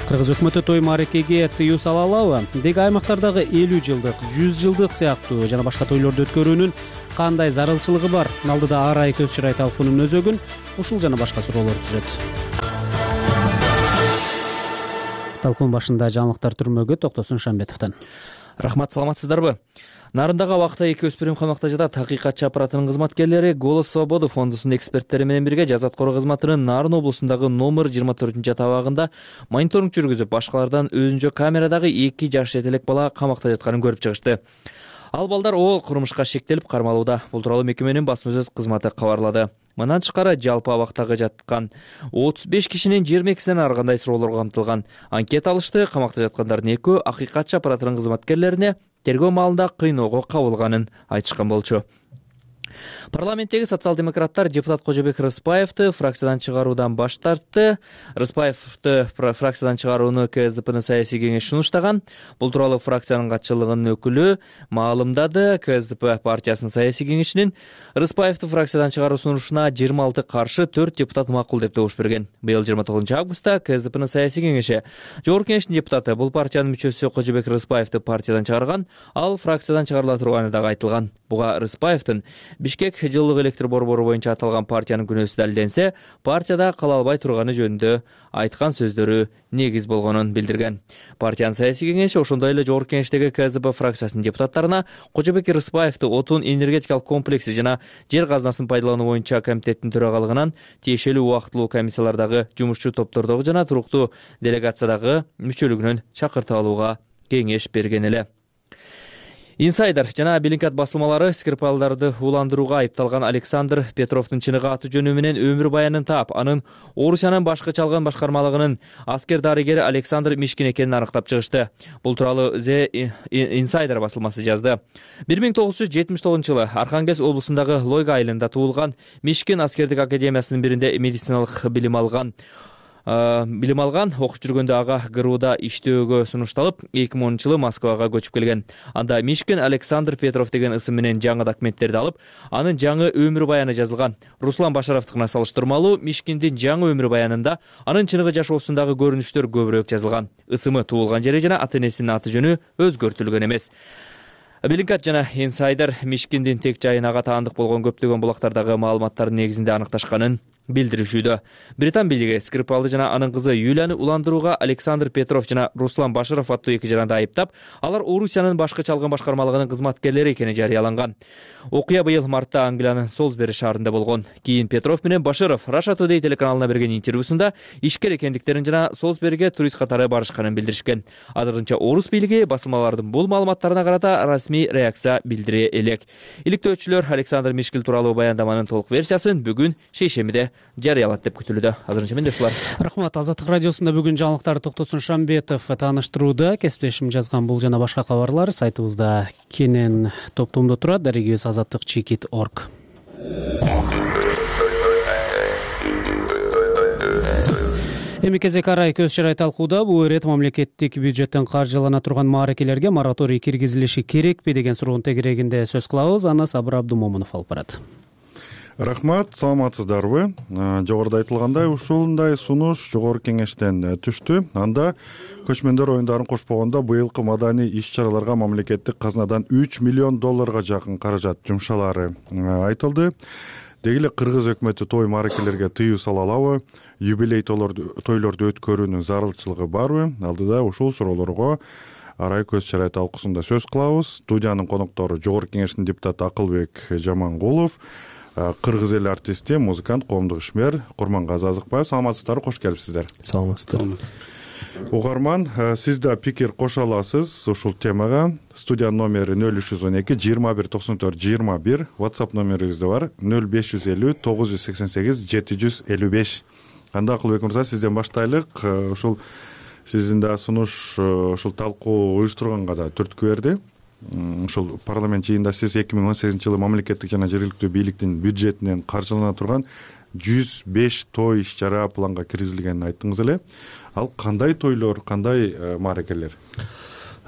Кыргыз өкмөтү той маарекеге тыюу сала алабы? Деги аймактардагы элүү жылдык, жүз жылдык сыяктуу жана башка тойлорду өткөрүүнүн кандай зарылчылыгы бар? Алдыда Арай көз чырай талкуунун өзөгүн ушул жана башка суроолор түзөт. Талкуун башында жаңылыктар түрмөгө Токтосун Шамбетовдон. Рахмат, саламатсыздарбы? Нарындагы убакта эки өспүрүм камакта жатат. Акыйкатчы аппаратынын кызматкерлери Голос Свободы фондусунун эксперттери менен бирге Жаза аткаруу кызматынын Нарын облусундагы номер жыйырма төртүнчү табагында мониторинг жүргүзүп, башкалардан өзүнчө камерадагы эки жаш жетелек бала камакта жатканын көрүп чыгышты. Ал балдар ол курмушка шектелип кармалууда. Бул тууралуу мекеменин басма сөз кызматы кабарлады. Мындан тышкары жалпы абактагы жаткан отуз беш кишинин жыйырма экисинен ар кандай суроолор камтылган. Анкета алышты. Камакта жаткандардын экөө акыйкатчы аппаратынын кызматкерлерине тергөө маалында кыйноого кабылганын айтышкан болчу. Парламенттеги социал-демократтар депутат Кожобек Рыспаевди фракциядан чыгаруудан баш тартты. Рыспаевди фракциядан чыгарууну КСДПнын саясий кеңеши сунуштаган. Бул тууралуу фракциянын катчылыгынын өкүлү маалымдады. КСДП партиясынын саясий кеңешинин Рыспаевди фракциядан чыгаруу сунушуна жыйырма алты каршы, төрт депутат макул деп добуш берген. Быйыл жыйырма тогузунчу августта КСДПнын саясий кеңеши жогорку кеңештин депутаты бул партиянын мүчөсү Кожобек Рыспаевди партиядан чыгарган, ал фракциядан чыгарыла турганы дагы айтылган. Буга Рыспаевдин Бишкек жылдык электр борбору боюнча аталган партиянын күнөөсү далилденсе, партияда кала албай турганы жөнүндө айткан сөздөрү негиз болгонун билдирген. Партиянын саясий кеңеши ошондой эле жогорку кеңештеги КСДП фракциясынын депутаттарына Кожобек Рыспаевди отун энергетикалык комплекси жана жер казынасын пайдалануу боюнча комитеттин төрагалыгынан тиешелүү убактылуу комиссиялардагы жумушчу топтордогу жана туруктуу делегациядагы мүчөлүгүнөн чакыртып алууга кеңеш берген эле. Инсайдер жана Белинкат басылмалары Скрипалдарды уландырууга айыпталган Александр Петровдун чыныгы аты жөнү менен өмүр баянын таап, анын Орусиянын башкы чалган башкармалыгынын аскер дарыгери Александр Мишкин экенин аныктап чыгышты. Бул тууралуу The Insider басылмасы жазды. бир миң тогуз жүз жетимиш тогузунчу жылы Архангельск облусундагы Лойга айылында туулган Мишкин аскердик академиясынын биринде медициналык билим алган. билим алган, окуп жүргөндө ага ГРУда иштөөгө сунушталып, эки миң онунчу жылы Москвага көчүп келген. Анда Мишкин Александр Петров деген ысым менен жаңы документтерди алып, анын жаңы өмүр баяны жазылган. Руслан Башаровдукуна салыштырмалуу Мишкиндин жаңы өмүр баянында анын чыныгы жашоосундагы көрүнүштөр көбүрөөк жазылган. Ысымы, туулган жери жана ата энесинин аты жөнү өзгөртүлгөн эмес. Белинкат жана Инсайдер Мишкиндин тек жайын ага таандык болгон көптөгөн булактардагы маалыматтардын негизинде аныкташканын билдиришүүдө. Британ бийлиги Скрипалды жана анын кызы Юлияны уландырууга Александр Петров жана Руслан Баширов аттуу эки жаранды айыптап, алар Орусиянын башкы чалгын башкармалыгынын кызматкерлери экени жарыяланган. Окуя быйыл мартта Англиянын Солсбери шаарында болгон. Кийин Петров менен Баширов Russia Today телеканалына берген интервьюсунда ишкер экендиктерин жана Солсбериге турист катары барышканын билдиришкен. Азырынча орус бийлиги басылмалардын бул маалыматтарына карата расмий реакция билдире элек. Иликтөөчүлөр Александр Мишкил тууралуу баяндаманын толук версиясын бүгүн шейшембиде жарыялат деп күтүлүүдө. Азырынча менде ушулар. Рахмат. Азаттык радиосунда бүгүн жаңылыктарды Токтосун Шамбетов тааныштырууда. Кесиптешим жазган бул жана башка кабарлар сайтыбызда кенен топтомдо турат. Дарегибиз азаттык чекит точка орг. Эми кезек арай көз чарай талкууда бул ирет мамлекеттик бюджеттен каржылана турган мааракелерге мораторий киргизилиши керекпи деген суроонун тегерегинде сөз кылабыз. Аны Сабыр Абдумомунов алып барат. Рахмат, саламатсыздарбы? Жогоруда айтылгандай, ушундай сунуш жогорку кеңештен түштү. Анда көчмөндөр оюндарын кошпогондо быйылкы маданий иш-чараларга мамлекеттик казнадан үч миллион долларга жакын каражат жумшалары айтылды. Деги эле Кыргыз өкмөтү той мааракелерге тыюу сала алабы? Юбилей тойлорду өткөрүүнүн зарылчылыгы барбы? Алдыда ушул суроолорго арай көз чарай талкуусунда сөз кылабыз. Студиянын коноктору жогорку кеңештин депутаты Акылбек Жамангулов, кыргыз эл артисти, музыкант, коомдук ишмер Курмангазы Азыкбаев. Саламатсыздарбы, кош келипсиздер. Саламатсыздар. Угарман, сиз да пикир кошо аласыз ушул темага. Студиянын номери нөл үч жүз он эки жыйырма бир токсон төрт жыйырма бир, WhatsApp номерибиз да бар нөл беш жүз элүү тогуз жүз сексен сегиз жети жүз элүү беш. Анда Акылбек мырза, сизден баштайлык. Ушул сиздин да сунуш ушул талкуу уюштурганга да түрткү берди. Ушул парламент жыйынында сиз эки миң он сегизинчи жылы мамлекеттик жана жергиликтүү бийликтин бюджетинен каржылана турган жүз беш той иш-чара планга киргизилгенин айттыңыз эле. Ал кандай тойлор, кандай мааракелер?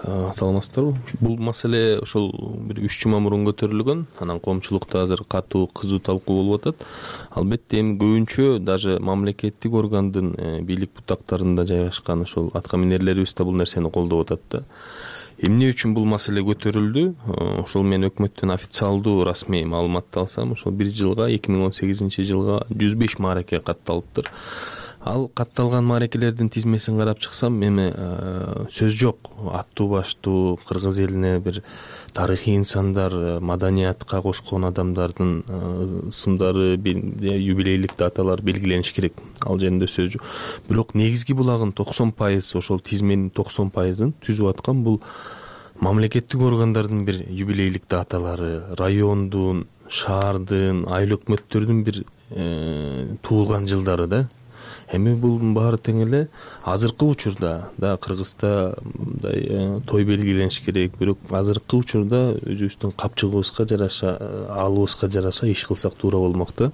Саламатсыздарбы? Бул маселе ошол бир үч жума мурун көтөрүлгөн. Анан коомчулукта азыр катуу кызуу талкуу болуп атат. Албетте эми көбүнчө даже мамлекеттик органдын бийлик бутактарында жайгашкан ошол атка минерлерибиз да бул нерсени колдоп атат да. Эмне үчүн бул маселе көтөрүлдү? Ошол мен өкмөттөн официалдуу расмий маалыматты алсам, ошол бир жылга эки миң он сегизинчи жылга жүз беш маараке катталыптыр. Ал катталган мааракелердин тизмесин карап чыксам, эми сөз жок. Аттуу баштуу кыргыз элине бир тарыхый инсандар, маданиятка кошкон адамдардын ысымдары, юбилейлик даталар белгилениш керек. Ал жеринде сөз жок. Бирок негизги булагын токсон пайыз, ошол тизменин токсон пайызын түзүп аткан бул мамлекеттик органдардын бир юбилейлик даталары, райондун, шаардын, айыл өкмөттөрдүн бир туулган жылдары да. Эми бул баары тең эле азыркы учурда да Кыргызда мындай той белгилениш керек, бирок азыркы учурда өзүбүздүн капчыгыбызга жараша, алыбызга жараша иш кылсак туура болмок да.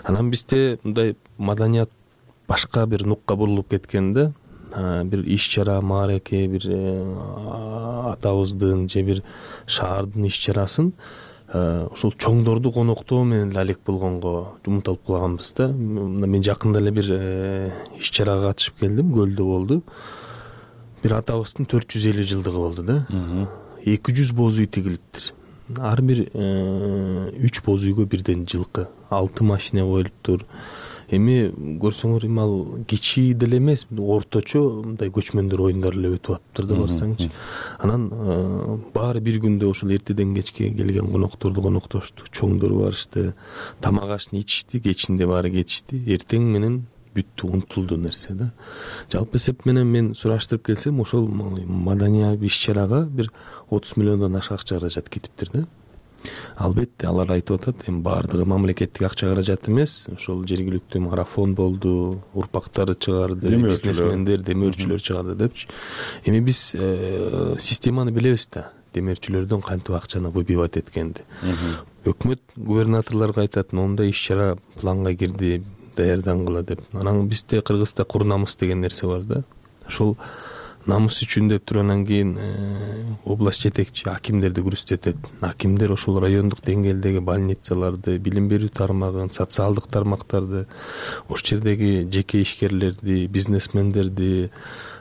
Анан бизде мындай маданият башка бир нукка бурулуп кеткен да. Бир иш-чара, маараке, бир атабыздын же бир шаардын иш-чарасын ушул чоңдорду коноктоо менен алек болгонго умтулуп калганбыз да. Мен жакында эле бир иш-чарага катышып келдим, Көлдө болду. Бир атабыздын төрт жүз элүү жылдыгы болду да. эки жүз боз үй тигилиптир. Ар бир үч боз үйгө бирден жылкы, алты машина коюлуптур. Эми көрсөңөр, эми ал кичи деле эмес, орточо мындай көчмөндөр оюндары эле өтүп атыптыр да барсаңчы. Анан баары бир күндө ошол эртеден кечке келген конокторду коноктошту, чоңдор барышты, тамак ашты ичишти, кечинде баары кетишти. Эртең менен бүттү, унутулду нерсе да. Жалпы эсеп менен мен сураштырып келсем, ошол маданий иш-чарага бир отуз миллиондон ашык акча каражат кетиптир да. Албетте алар айтып атат, эми баардыгы мамлекеттик акча каражат эмес, ошол жергиликтүү марафон болду, урпактары чыгарды, бизнесмендер, демөөрчүлөр чыгарды депчи. Эми биз системаны билебиз да, демөөрчүлөрдөн кантип акчаны выбивать эткенди. Өкмөт губернаторлорго айтат, моундай иш-чара планга кирди, даярдангыла деп. Анан бизде Кыргызда курнамыз деген нерсе бар да. Ошол намыс үчүн деп туруп анан кийин область жетекчи акимдерди күрөзтөтөт. Акимдер ошол райондук деңгээлдеги больницаларды, билим берүү тармагын, социалдык тармактарды, ошол жердеги жеке ишкерлерди, бизнесмендерди,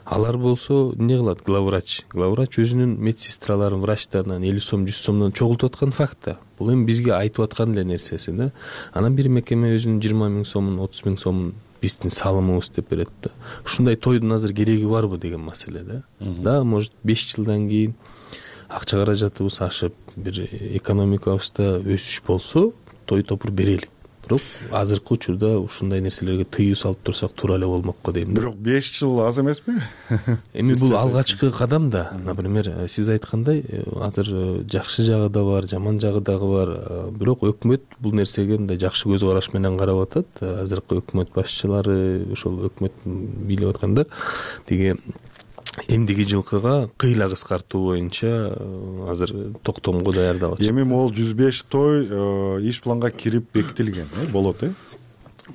алар болсо эмне кылат? Главврач. Главврач өзүнүн медсестраларын, врачтарынан элүү сом, жүз сомдон чогултуп аткан факт да. Бул эми бизге айтып аткан эле нерсеси да. Анан бир мекеме өзүнүн жыйырма миң сомун, отуз миң сомун биздин салымыбыз деп берет да. Ушундай тойдун азыр кереги барбы деген маселе да. Да, может беш жылдан кийин акча каражатыбыз ашып, бир экономикабызда өсүш болсо, той топур берелик. Бирок азыркы учурда ушундай нерселерге тыюу салып турсак туура эле болмокко дейм да. Бирок беш жыл аз эмеспи? Эми бул алгачкы кадам да. Например, сиз айткандай, азыр жакшы жагы да бар, жаман жагы дагы бар. Бирок өкмөт бул нерсеге мындай жакшы көз караш менен карап атат. Азыркы өкмөт башчылары, ошол өкмөт бийлеп аткандар тиги эмдиги жылкыга кыйла кыскартуу боюнча азыр токтомго даярдап атышат. Эми могул жүз беш той иш планга кирип бекитилген, э, болот, э?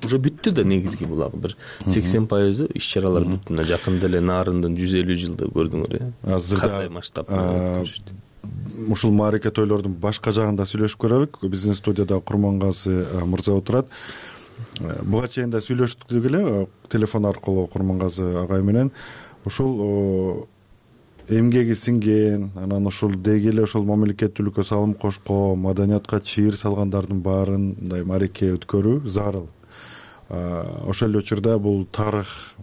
Уже бүттү да негизги булагы бир сексен пайызы иш чаралар бүттү. Мына жакында эле Нарындын жүз элүү жылды көрдүңөр, э? Азырда масштабта ушул маарике тойлордун башка жагында сүйлөшүп көрөлүк. Биздин студияда Курмангазы мырза отурат. Буга чейин да сүйлөштүк эле телефон аркылуу Курмангазы агай менен. Ушул эмгеги сиңген, анан ушул деги эле ошол мамлекеттүүлүккө салым кошкон, маданиятка чыйыр салгандардын баарын мындай маарике өткөрүү зарыл. Ошол эле учурда бул тарых,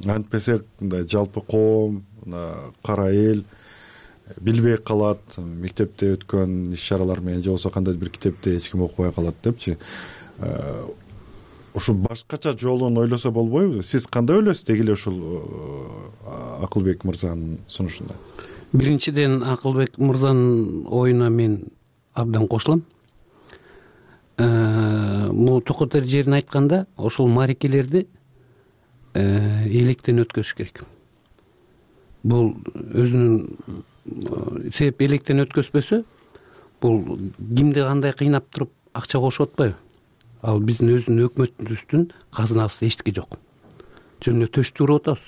антпесе мындай жалпы коом, кара эл билбей калат, мектепте өткөн иш чаралар менен же болбосо кандайдыр бир китепти эч ким окубай калат депчи. Ушул башкача жолун ойлосо болбойбу? Сиз кандай ойлойсуз деги эле ушул Акылбек мырзанын сунушунда? Биринчиден Акылбек мырзанын оюна мен абдан кошулам. Бул токотор жерин айтканда, ошол маарикелерди электен өткөзүш керек. Бул өзүнүн себеп электен өткөзбөсө, бул кимди кандай кыйнап туруп акча кошуп атпайбы? Ал биздин өзүнүн өкмөтүбүздүн казынасында эчтеке жок. Жөн эле төштү уруп атабыз.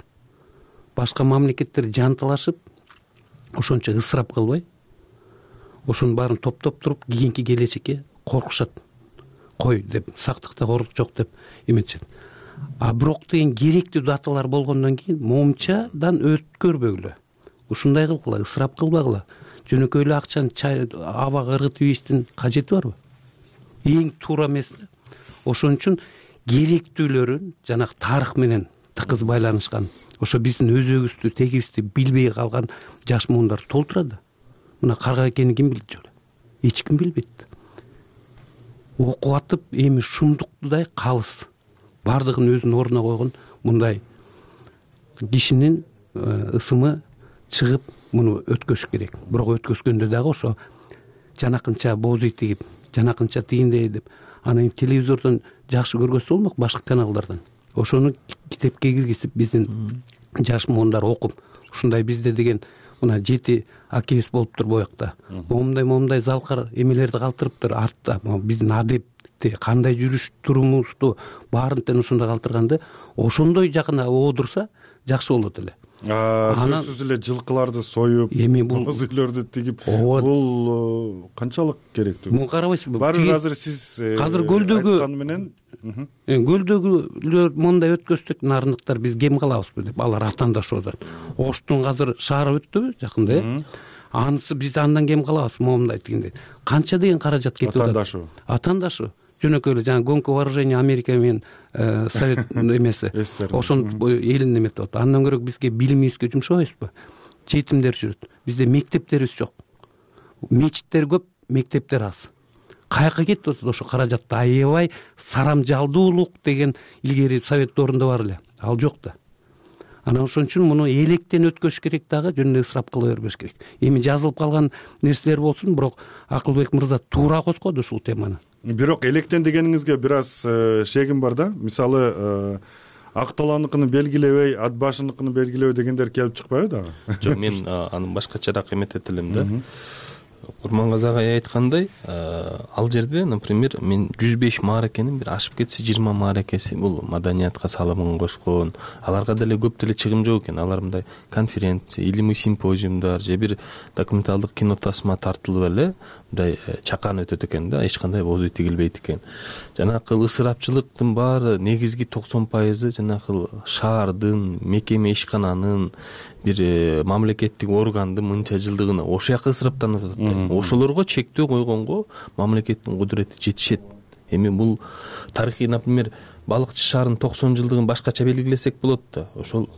Башка мамлекеттер жанталашып, ошончо ысырап кылбай, ошонун баарын топтоп туруп, кийинки келечекке коркушат. Кой деп, сактыкта корк жок деп эметишет. А бирок деген керектүү даталар болгондон кийин момчадан өткөрбөгүлө. Ушундай кылгыла, ысырап кылбагыла. Жөнөкөй эле акчаны абага ыргытып ийиштин кажети барбы? Эң туура эмес да. Ошон үчүн керектүүлөрүн жанагы тарых менен тыкыз байланышкан, ошо биздин өзөгүбүздү, тегибизди билбей калган жаш муундар толтурат. Мына карга экенин ким билет жолу? Эч ким билбейт. Окуп атып, эми шумдуктудай калыс. Бардыгын өзүнүн ордуна койгон мындай кишинин ысымы чыгып, муну өткөзүш керек. Бирок өткөзгөндө дагы ошо жанакынча боз үй тигип, жанакынча тигиндей деп, анан телевизордон жакшы көргөзсө болмок, башка каналдардан. Ошону китепке киргизип, биздин жаш муундар окуп, ушундай бизде деген мына жети акебиз болуптур боякта. Момундай момундай залкар эмелерди калтырыптыр артта. Биздин адепти кандай жүрүш турумубузду баарын тең ушундай калтырганды, ошондой жакына оодурса жакшы болот эле. Сөзсүз эле жылкыларды союп, боз үйлөрдү тигип, бул канчалык керектүү? Муну карабайсызбы? Баары азыр сиз азыр көлдөгү айткан менен көлдөгүлөр мондай өткөздүк, нарындыктар биз кем калабызбы деп, алар атаандашып атат. Оштун азыр шаары өттүбү жакында, э? Анысы биз андан кем калабыз, момундай тигиндей. Канча деген каражат кетип атат? Атаандашуу. Атаандашуу. Жөнөкөй эле жана гонка вооружения Америка менен Совет эмеси. Ошону элин эметип атат. Андан көрө бизге билимибизге жумшабайбызбы? Жетимдер жүрөт. Бизде мектептерибиз жок. Мечиттер көп, мектептер аз. Каяка кетип атат ошо каражатты аябай сарам жалдуулук деген илгери Совет доорунда бар эле. Ал жок да. Анан ошон үчүн муну электен өткөзүш керек дагы, жөн эле ысырап кыла бербеш керек. Эми жазылып калган нерселер болсун, бирок Акылбек мырза туура козгоду ушул теманы. Бирок электен дегениңизге бир аз шегим бар да. Мисалы, ак талааныкын белгилебей, ат башыныкын белгилебей дегендер келип чыкпайбы дагы? Жок, мен аны башкачараак эметет элем да. Курмангазы агай айткандай, ал жерде, например, мен жүз беш мааракенин бир ашып кетсе жыйырма мааракеси бул маданиятка салымын кошкон. Аларга деле көп деле чыгым жок экен. Алар мындай конференция, илимий симпозиумдар же бир документалдык кино тасма тартылып эле мындай чакан өтөт экен да, эч кандай бозу тигилбейт экен. Жанакы ысырапчылыктын баары негизги токсон пайызы жанакы шаардын, мекеме ишкананын, бир мамлекеттик органдын мынча жылдыгына ошол жака ысыраптанып атат. Ошолорго чектөө койгонго мамлекеттин кудурети жетишет. Эми бул тарыхый, например, балыкчы шаарынын токсон жылдыгын башкача белгилесек болот да. Ошол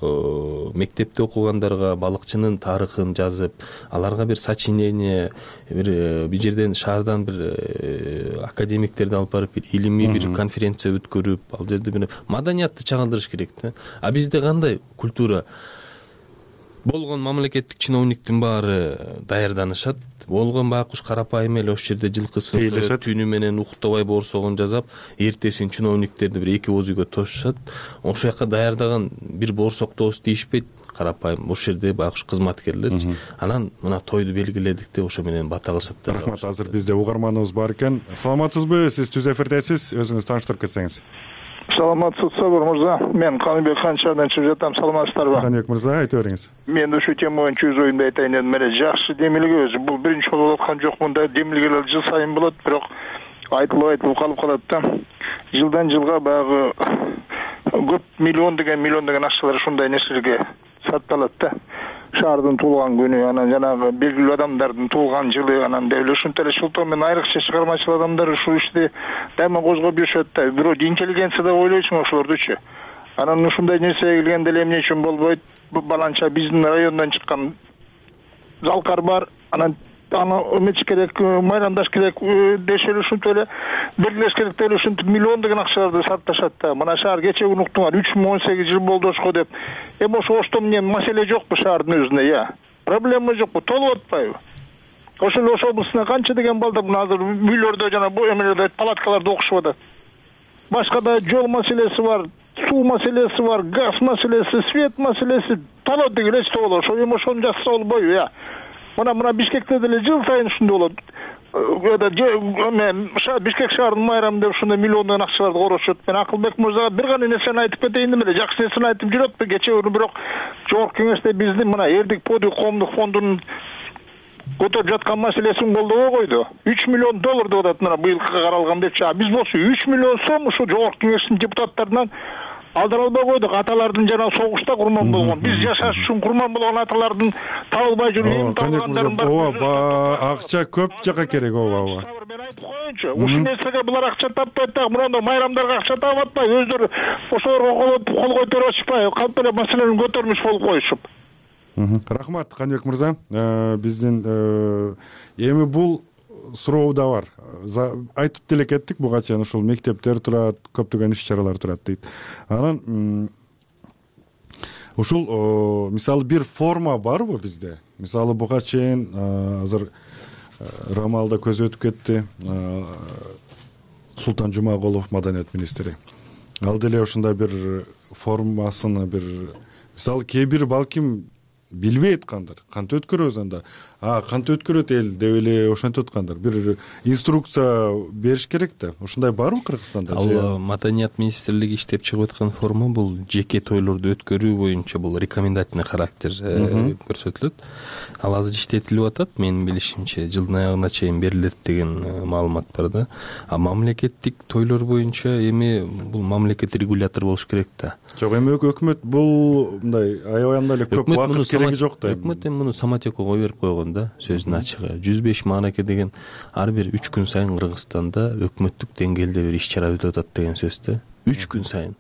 мектепте окугандарга балыкчынын тарыхын жазып, аларга бир сочинение, бир бир жерден шаардан бир академиктерди алып барып, бир илимий бир конференция өткөрүп, ал жерде бир маданиятты чагылдырыш керек да. А бизде кандай культура? Болгон мамлекеттик чиновниктин баары даярданышат. Болгон байкуш карапайым эле ошол жерде жылкысы түнү менен уктабай борсогон жасап, эртесин чиновниктерди бир эки ооз үйгө тошушат. Ошол жака даярдаган бир борсоктобуз тийишпейт. Карапайым ошол жерде байкуш кызматкерлерчи. Анан мына тойду белгиледик деп ошо менен бата кылышат да. Рахмат. Азыр бизде угарманыбыз бар экен. Саламатсызбы? Сиз түз эфирдесиз. Өзүңүз тааныштырып кетсеңиз. Саламатсызбы мырза, мен Каныбек Канчардан чыгып жатам. Саламатсыздарбы? Каныбек мырза, айтып бериңиз. Мен ушул тема боюнча өз оюмду айтайын дедим. Мына жакшы демилге өзү. Бул биринчи жолу болуп аткан жок, мындай демилгелер жыл сайын болот, бирок айтылып айтылып калып калат да. Жылдан жылга баягы көп миллион деген миллион деген акчалар ушундай нерселерге сарпталат да. Шаардын туулган күнү, анан жанагы белгилүү адамдардын туулган жылы, анан деп эле ушинтип эле ушул менен айрыкча чыгармачыл адамдар ушул ишти дайыма козгоп жүрүшөт да. Бирок интеллигенция деп ойлойсуң ошолордучу. Анан ушундай нерсеге келгенде эле эмне үчүн болбойт? Баланча биздин райондон чыккан залкар бар, анан аны эмечи керек, майрамдаш керек деши эле ушинтип эле белгилеш керек деп эле ушинтип миллион деген акчаларды сарпташат да. Мына шаар кече күнү уктуңар үч миң он сегиз жыл болду ошко деп. Эми ошо ошто менен маселе жокпу шаардын өзүнө, я? Проблема жокпу, толуп атпайбы? Ошол эле ошол областына канча деген балдар мына азыр үйлөрдө жана бу эмелерде палаткаларда окушуп атат. Башка да жол маселеси бар, суу маселеси бар, газ маселеси, свет маселеси толот деген эч болот. Ошо эми ошону жазса болбойбу, я? Мына мына Бишкекте деле жыл сайын ушундай болот. Мен Бишкек шаарынын майрамы деп ушундай миллиондогон акчаларды корошот. Мен Акылбек мырзага бир гана нерсени айтып кетейин деп эле, жакшы нерсени айтып жүрөт кече күнү, бирок жогорку кеңеште биздин мына Эрдик Подвиг коомдук фондунун көтөрүп жаткан маселесин колдобой койду. үч миллион доллар деп атат мына быйылкы каралган депчи. А биз болсо үч миллион сом ушу жогорку кеңештин депутаттарынан алдыра албай койдук. Аталардын жана согушта курман болгон, биз жашаш үчүн курман болгон аталардын табылбай жүрүп табылгандарын бар. Ооба, акча көп жака керек, ооба, ооба. Мен айтып коеюнчу, ушул нерсеге булар акча таппайт да, мурда майрамдарга акча таап атпай, өздөрү ошолорго кол көтөрүп атышпай, калп эле маселени көтөрмүш болуп коюшуп. Рахмат, Каныбек мырза. Биздин эми бул суроо да бар. Айтып деле кеттик, буга чейин ушул мектептер турат, көптөгөн иш-чаралар турат дейт. Анан ушул мисалы бир форма барбы бизде? Мисалы буга чейин азыр Рамалда көз өтүп кетти. Султан Жумагулов маданият министри. Ал деле ушундай бир формасыны бир мисалы кээ бир балким билбейт кандыр, кантип өткөрөбүз анда. А, кантип өткөрөт эл деп эле ошентип аткандар. Бир инструкция бериш керек да. Ушундай барбы Кыргызстанда? Ал маданият министрлиги иштеп чыгып аткан форма бул жеке тойлорду өткөрүү боюнча бул рекомендательный характер көрсөтүлөт. Ал азыр иштетилип атат, менин билишимче, жылдын аягына чейин берилет деген маалымат бар да. А мамлекеттик тойлор боюнча эми бул мамлекет регулятор болуш керек да. Жок, эми өкмөт бул мындай аябай эле көп убакыт кереги жок да. Өкмөт эми муну самотекого берип койгон да, сөздүн ачыгы. жүз беш маараке деген ар бир үч күн сайын Кыргызстанда өкмөттүк деңгээлде бир иш-чара өтүп атат деген сөз да. үч күн сайын.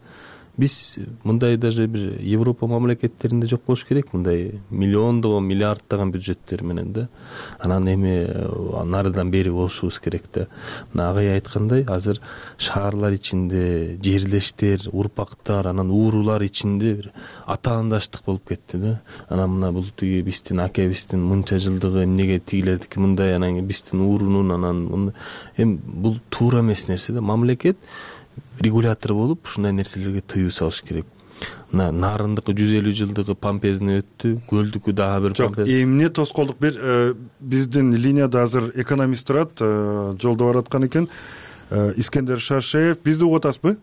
Биз мындай даже бир Европа мамлекеттеринде жок болуш керек, мындай миллиондогон, миллиарддаган бюджеттер менен да. Анан эми нарыдан бери болушубуз керек да. Мына агай айткандай, азыр шаарлар ичинде жерлештер, урпактар, анан уурулар ичинде бир атаандаштык болуп кетти да. Анан мына бул тиги биздин акебиздин мынча жылдыгы эмнеге тигилердики мындай, анан биздин уурунун анан эми бул туура эмес нерсе да. Мамлекет регулятор болуп ушундай нерселерге тыюу салыш керек. мына нарындыкы жүз элүү жылдыгы помпезный өттү, көлдүкү дагы бир жок. Эмне тоскоолдук бир биздин линияда азыр экономист турат, жолдо бараткан экен. Искендер Шаршеев, бизди угуп атасызбы?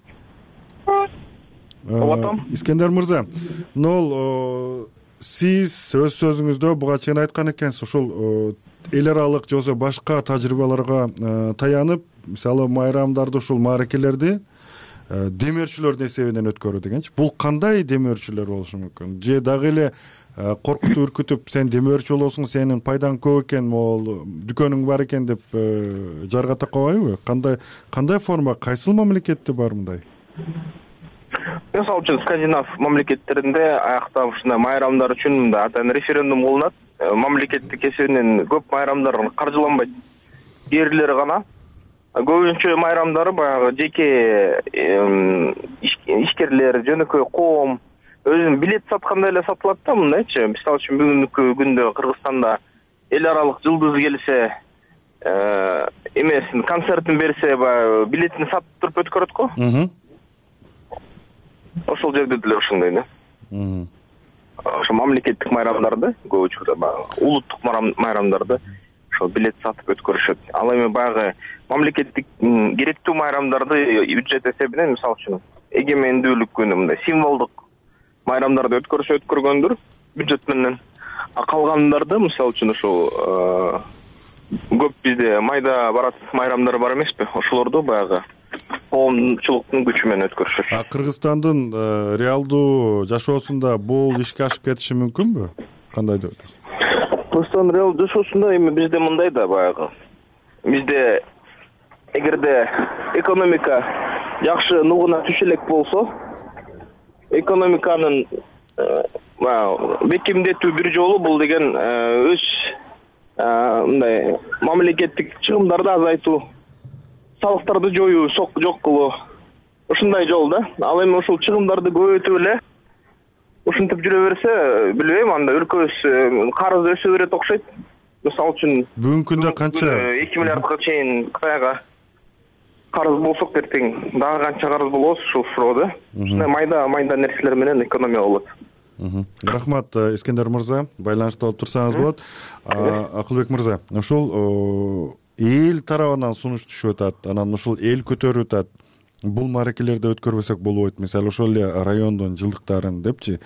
Угуп атам. Искендер мырза, нол сиз өз сөзүңүздө буга чейин айткан экенсиз, ушул эл аралык же болбосо башка тажрыйбаларга таянып, мисалы майрамдарды, ушул мааракелерди демөөрчүлөрдүн эсебинен өткөрүү дегенчи. Бул кандай демөөрчүлөр болушу мүмкүн? Же дагы эле коркутуп үркүтүп, сен демөөрчү болосуң, сенин пайдаң көп экен, могул дүкөнүң бар экен деп жаргата койбойбу? Кандай кандай форма, кайсыл мамлекетте бар мындай? Мисалы үчүн скандинав мамлекеттеринде аякта ушундай майрамдар үчүн мындай атайын референдум кылынат. Мамлекеттик эсебинен көп майрамдар каржыланбайт. Эрлер гана. Көбүнчө майрамдары баягы жеке ишкерлер, жөнөкөй коом өзүнүн билет саткандай эле сатылат да, мындайчы. Мисалы үчүн бүгүнкү күндө Кыргызстанда эл аралык жылдыз келсе, эмесин концертин берсе, баягы билетин сатып туруп өткөрөт го. Ошол жерде деле ушундай да. Ошо мамлекеттик майрамдарды, көбүнчө баягы улуттук майрамдарды ошо билет сатып өткөрүшөт. Ал эми баягы мамлекеттик керектүү майрамдарды бюджет эсебинен, мисалы үчүн эгемендүүлүк күнү мындай символдук майрамдарды өткөрүшө өткөргөндүр бюджет менен. А калгандарды, мисалы үчүн ошол көп бизде майда барат майрамдар бар эмеспи? Ошолорду баягы коомчулуктун күчү менен өткөрүшөт. А Кыргызстандын реалдуу жашоосунда бул ишке ашып кетиши мүмкүнбү? Кандай деп атасыз? Кыргызстан реалдуу жашоосунда эми бизде мындай да баягы. Бизде эгерде экономика жакшы нугуна түшө элек болсо, экономиканын бекемдетүү бир жолу бул деген өз мындай мамлекеттик чыгымдарды азайтуу, салыктарды жоюу, жок кылуу. Ушундай жол да. Ал эми ушул чыгымдарды көбөйтүп эле ушинтип жүрө берсе, билбейм, анда өлкөбүз карызы өсө берет окшойт. Мисалы үчүн бүгүнкү күндө канча эки миллиардга чейин Кытайга карыз болсок, эртең дагы канча карыз болобуз ушул суроода. Ушундай майда майда нерселер менен экономия болот. Рахмат, Искендер мырза, байланышта болуп турсаңыз болот. Акылбек мырза, ушул эл тарабынан сунуш түшүп атат, анан ушул эл көтөрүп атат. Бул мааракелерди өткөрбөсөк болбойт. Мисалы ошол эле райондун жылдыктарын депчи,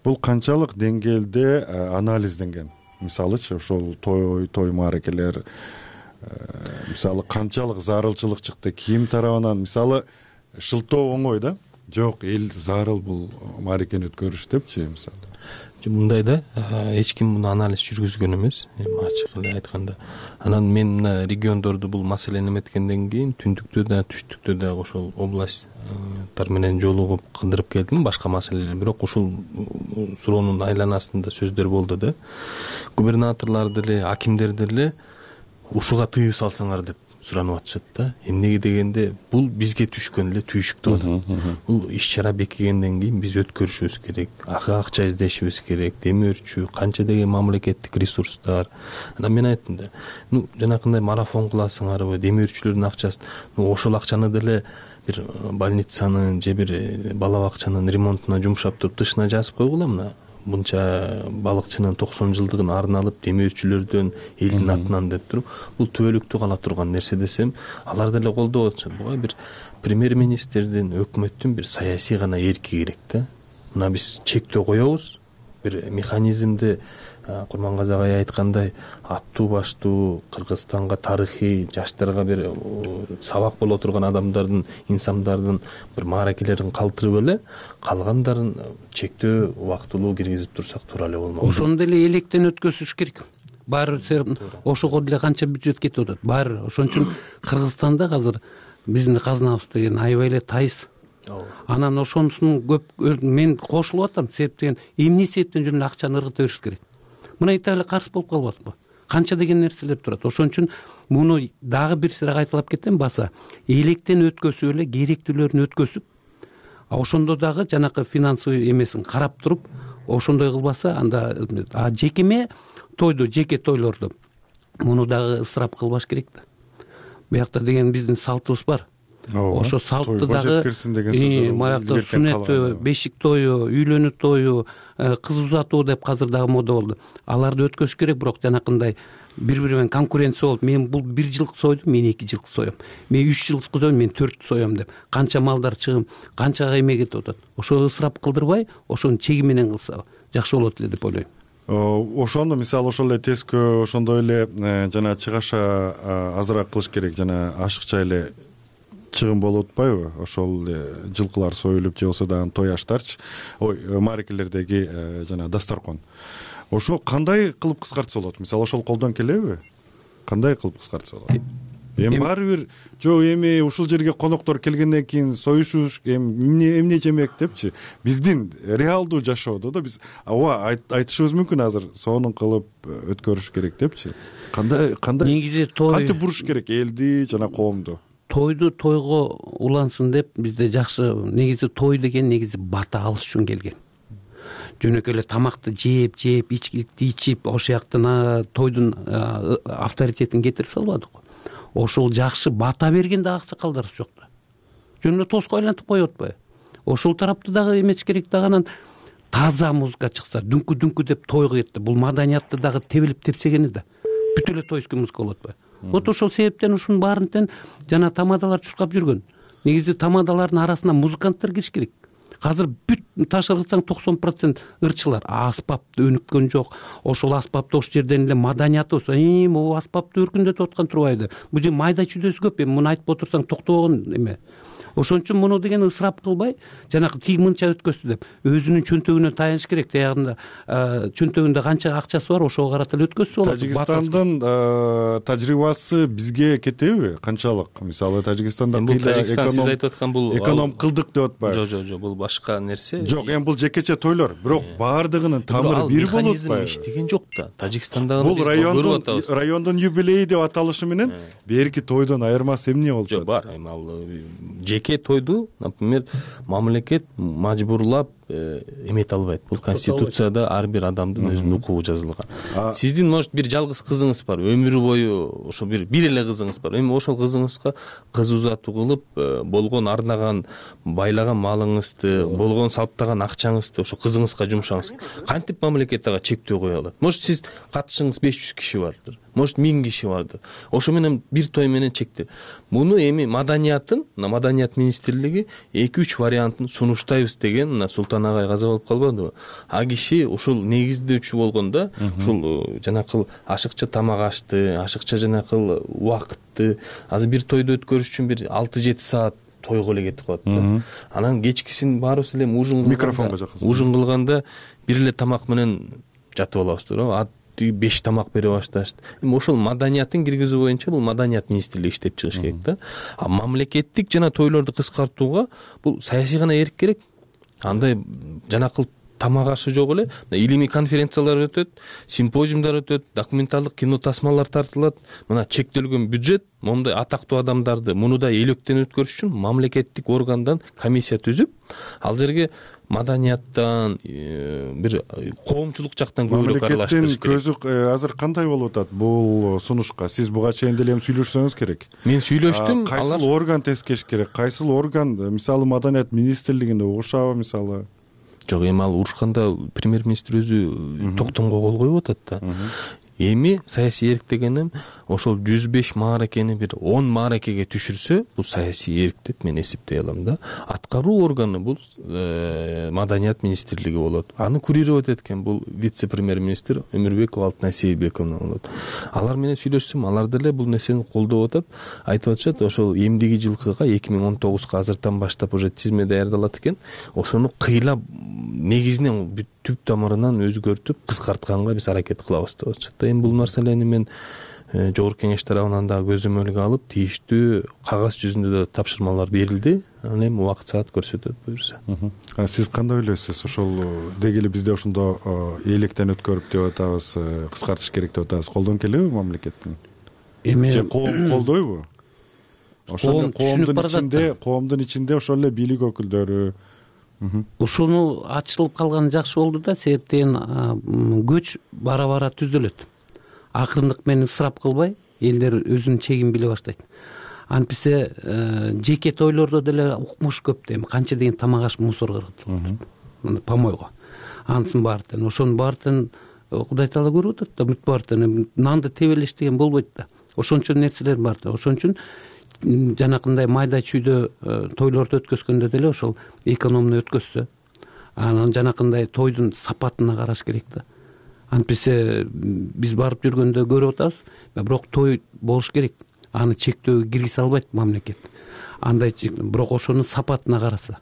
бул канчалык деңгээлде анализденген? Мисалычы ошол той той мааракелер мисалы канчалык зарылчылык чыкты, ким тарабынан? Мисалы шылтоо оңой да, жок, эл зарыл бул мааракени өткөрүш депчи, мисалы. Мындай да, эч ким муну анализ жүргүзгөн эмес, эми ачык эле айтканда. Анан мен мына региондорду бул маселени эметкенден кийин түндүктө да, түштүктө да ошол областтар менен жолугуп кыдырып келдим, башка маселелер. Бирок ушул суроонун айланасында сөздөр болду да. Губернаторлор деле, акимдер деле ушуга тыюу салсаңар деп суранып атышат да. Эмнеге дегенде, бул бизге түшкөн эле түйшүк деп атат. Бул иш-чара бекигенден кийин биз өткөрүшүбүз керек, акча издешибиз керек, демөөрчү, канча деген мамлекеттик ресурстар. Анан мен айттым да, ну жанакындай марафон кыласыңарбы, демөөрчүлөрдүн акчасын, ну ошол акчаны деле бир больницанын же бир бала бакчанын ремонтуна жумшап туруп тышына жазып койгула, мына мынча балыкчынын токсон жылдыгын арналып демөөрчүлөрдөн элдин атынан деп туруп, бул түбөлүктүү кала турган нерсе десем, алар деле колдоп атышат. Буга бир премьер-министрдин, өкмөттүн бир саясий гана эрки керек да. Мына биз чектөө коебуз, бир механизмди Курмангазы агай айткандай, аттуу баштуу Кыргызстанга тарыхый, жаштарга бир сабак боло турган адамдардын, инсандардын бир мааракелерин калтырып эле, калгандарын чектөө убактылуу киргизип турсак туура эле болмок. Ошону деле электен өткөзүш керек. Баары ошого деле канча бюджет кетип атат. Баары ошон үчүн Кыргызстанда азыр биздин казнабыз деген аябай эле тайыз. Анан ошонусун көп мен кошулуп атам, себеп деген эмне себептен жүрүн акчаны ыргыта бериш керек. Мына Италия каршы болуп калып атпы? Канча деген нерселер турат. Ошон үчүн муну дагы бир сыйра кайталап кетем, баса электен өткөзүп эле керектүүлөрүн өткөзүп, ошондо дагы жанакы финансовый эмесин карап туруп, ошондой кылбаса, анда а жекеме тойду, жеке тойлорду муну дагы ысырап кылбаш керек да. Биякта деген биздин салтыбыз бар. тойго ошо салтты дагы жеткирсин деген сөз. баягы сүннөтү, бешик тою, үйлөнүү тою, кыз узатуу деп азыр дагы мода болду. Аларды өткөрүш керек, бирок жанакындай бири бири менен конкуренция болуп, мен бул бир жылкы сойдум, мен эки жылкы соем, мен үч жылкы соем, мен төрт соем деп канча малдар чыгым, канча эме кетип атат. Ошо ысырап кылдырбай, ошону чеги менен кылса жакшы болот эле деп ойлойм. Ошондо мисалы ошол эле тескөө, ошондой эле жана чыгаша азыраак кылыш керек, жана ашыкча эле чыгым болуп атпайбы? Ошол жылкылар союлуп же болбосо дагы той аштарчы, ой, мааракелердеги жана дасторкон. Ошо кандай кылып кыскартса болот? Мисалы ошол колдон келеби? Кандай кылып кыскартса болот? Эми баары бир жок, эми ушул жерге коноктор келгенден кийин союшуш, эми эмне жемек депчи. Биздин реалдуу жашоодо да биз ооба айтышыбыз мүмкүн азыр сонун кылып өткөрүш керек депчи. Кандай кандай негизи той кантип буруш керек элди жана коомду? Тойду тойго улансын деп бизде жакшы, негизи той деген негизи бата алыш үчүн келген. Жөнөкөй эле тамакты жеп, жеп, ичкиликти ичип, ошол жактан тойдун авторитетин кетирип салбадык. Ошол жакшы бата берген да аксакалдарыбыз жок да. Жөн эле тоско айлантып коюп атпайбы? Ошол тарапты дагы эмеш керек да, анан таза музыка чыкса, дүңкү-дүңкү деп тойго кетти. Бул маданиятты дагы тебилип тепсегени да. Бүт эле тойский музыка болуп атпайбы? Вот ошол себептен ушунун баарынтен жана тамадалар чуркап жүргөн. Негизи тамадалардын арасына музыканттар кириш керек. Азыр бүт ташырсаң токсон процент ырчылар, аспапты өнүккөн жок. Ошол аспапты ошол жерден эле маданиятыбыз, эми могу аспапты өркүндөтүп аткан турбайбы? Бул же майда чүйдөсү көп, эми муну айтып отурсаң токтобогон эме. Ошон үчүн муну деген ысырап кылбай, жанагы тиги мынча өткөздү деп өзүнүн чөнтөгүнө таяныш керек. Таягында чөнтөгүндө канча акчасы бар, ошого карата эле өткөзсө болот. Тажикстандын тажрыйбасы бизге кетеби? Канчалык? Мисалы Тажикстанда эконом кылдык деп атпайбы? Жок, жок, жок, бул башка нерсе. Жок, эми бул жекече тойлор, бирок баардыгынын тамыры бир болуп атпайбы? Иштеген жок да. Тажикстандагы бул райондун райондун юбилейи деп аталышы менен берки тойдон айырмасы эмне болуп атат? Жок, бар. Эми ал жеке тойду, например, мамлекет мажбурлап эмете албайт. Бул конституцияда ар бир адамдын өзүнүн укугу жазылган. Сиздин может бир жалгыз кызыңыз бар, өмүрү бою ошо бир бир эле кызыңыз бар. Эми ошол кызыңызга кыз узатуу кылып, болгон арнаган, байлаган малыңызды, болгон салыптаган акчаңызды ошо кызыңызга жумшаңыз. Кантип мамлекет ага чектөө кое алат? Может сиз катышыңыз беш жүз киши бардыр, может миң киши бардыр. Ошо менен бир той менен чектеп. Муну эми маданиятын, Маданият министрлиги эки үч вариантын сунуштайбыз деген Султан агай каза болуп калбадыбы? А киши ушул негиздөөчү болгондо, ушул жанакыл ашыкча тамак ашты, ашыкча жанакыл убакытты, азыр бир тойду өткөрүш үчүн бир алты жети саат тойго эле кетип калат да. Анан кечкисин баарыбыз эле ужин кылганда, микрофонго жакын. Ужин кылганда бир эле тамак менен жатып алабыз туура. беш тамак бере башташты. Эми ошол маданиятын киргизүү боюнча бул маданият министрлиги иштеп чыгыш керек да. А мамлекеттик жана тойлорду кыскартууга бул саясий гана эрк керек. Андай жанакыл тамак ашы жок эле, илимий конференциялар өтөт, симпозиумдар өтөт, документалдык кино тасмалар тартылат. Мына чектелген бюджет, момундай атактуу адамдарды муну да электен өткөрүш үчүн мамлекеттик органдан комиссия түзүп, ал жерге маданияттан, бир коомчулук жактан көбүрөөк аралаштырыш керек. Мамлекеттин көзү азыр кандай болуп атат бул сунушка? Сиз буга чейин деле сүйлөшсөңүз керек. Мен сүйлөштүм. Кайсыл орган тескеш керек? Кайсыл орган, мисалы Маданият министрлигинде угушабы мисалы? Жок, эми ал урушканда премьер-министр өзү токтомго кол коюп атат да. Эми саясий эрк дегеним ошол жүз беш мааракени бир он мааракеге түшүрсө, бул саясий эрк деп мен эсептей алам да. Аткаруу органы бул Маданият министрлиги болот. Аны курировать эткен бул вице-премьер-министр Өмүрбекова Алтынай Сейилбековна болот. Алар менен сүйлөшсөм, алар деле бул нерсени колдоп атат. Айтып атышат, ошол эмдиги жылкыга эки миң он тогузга азыртан баштап уже тизме даярдалат экен. Ошону кыйлап негизинен түп тамырынан өзгөртүп кыскартканга биз аракет кылабыз деп атышат. Эми бул нерселерни мен жогорку кеңеш тарабынан да көзөмөлгө алып, тийиштүү кагаз жүзүндө да тапшырмалар берилди. Анан эми убакыт саат көрсөтөт буюрса. А сиз кандай ойлойсуз? Ошол деги эле бизде ошондо электен өткөрүп деп атабыз, кыскартыш керек деп атабыз. Колдон келеби мамлекеттин? Эми же коом колдойбу? Ошол коомдун ичинде, коомдун ичинде ошол эле бийлик өкүлдөрү ушуну ачылып калганы жакшы болду да, себептен көч бара-бара түзөлөт. Акырындык менен ысырап кылбай, элдер өзүнүн чегин биле баштайт. антпесе жеке тойлордо деле укмуш көп да, эми канча деген тамак аш мусорго кыргытылып помойго, анысынын баары тең ошонун баары тең Кудай таала көрүп атат да, бүт баары тең нанды тебелеш деген болбойт да, ошончо нерселер бар да. Ошон үчүн жанакындай майда чүйдө тойлорду өткөзгөндө деле ошол экономно өткөзсө, анан жанакындай тойдун сапатына караш керек да. Антпесе биз барып жүргөндө көрүп атабыз, бирок той болуш керек, аны чектөөгө киргизе албайт мамлекет. Андай, бирок ошонун сапатына караса,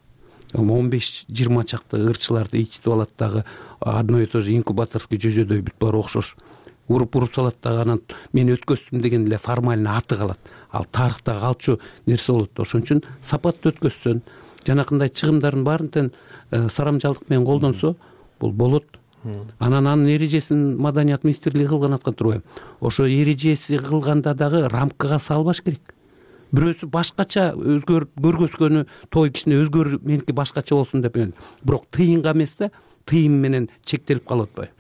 он беш жыйырма чакты ырчыларды ичтип алат дагы, одно и то же инкубаторский жөзөдөй бүт баары окшош. Уруп-уруп салат дагы, анан мен өткөздүм деген эле формально аты калат. Ал тарыхта калчу нерсе болот. Ошон үчүн сапаттуу өткөзсөн, жанакындай чыгымдардын баарын тең сарамжалдык менен колдонсо, бул болот. Анан анын эрежесин Маданият министрлиги кылган аткан турбайбы? Ошо эрежеси кылганда дагы рамкага салбаш керек. Бирөөсү башкача өзгөр көргөзгөнү, той кичине өзгөр, меники башкача болсун деп, бирок тыйынга эмес да, тыйым менен чектелип калып атпайбы?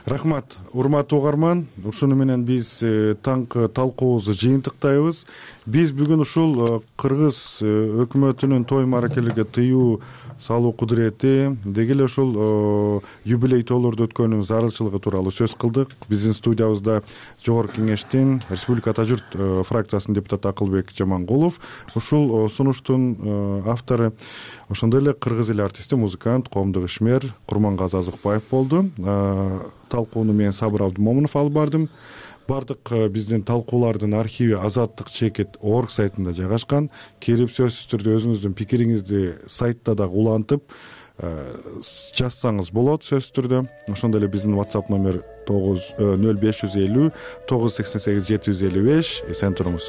Рахмат, урматтуу угарман. Ушуну менен биз таңкы талкуубузду жыйынтыктайбыз. Биз бүгүн ушул Кыргыз өкмөтүнүн той мааракелерге тыюу салуу кудурети, деги эле ушул юбилей тойлорду өткөрүүнүн зарылчылыгы тууралуу сөз кылдык. Биздин студиябызда Жогорку Кеңештин Республика Ата журт фракциясынын депутаты Акылбек Жамангулов, ушул сунуштун автору ошондой эле кыргыз эли артисти, музыкант, коомдук ишмер Курмангазы Азыкбаев болду. Талкууну мен Сабыр Абдымомунов алып бардым. Бардык биздин талкуулардын архиви азаттык чекит орг сайтында жайгашкан. Келип сөзсүз түрдө өзүңүздүн пикириңизди сайтта дагы улантып жазсаңыз болот сөзсүз түрдө. Ошондой эле биздин WhatsApp номер нөл беш жүз элүү тогуз жүз сексен сегиз жети жүз элүү беш. Эсен туруңуз.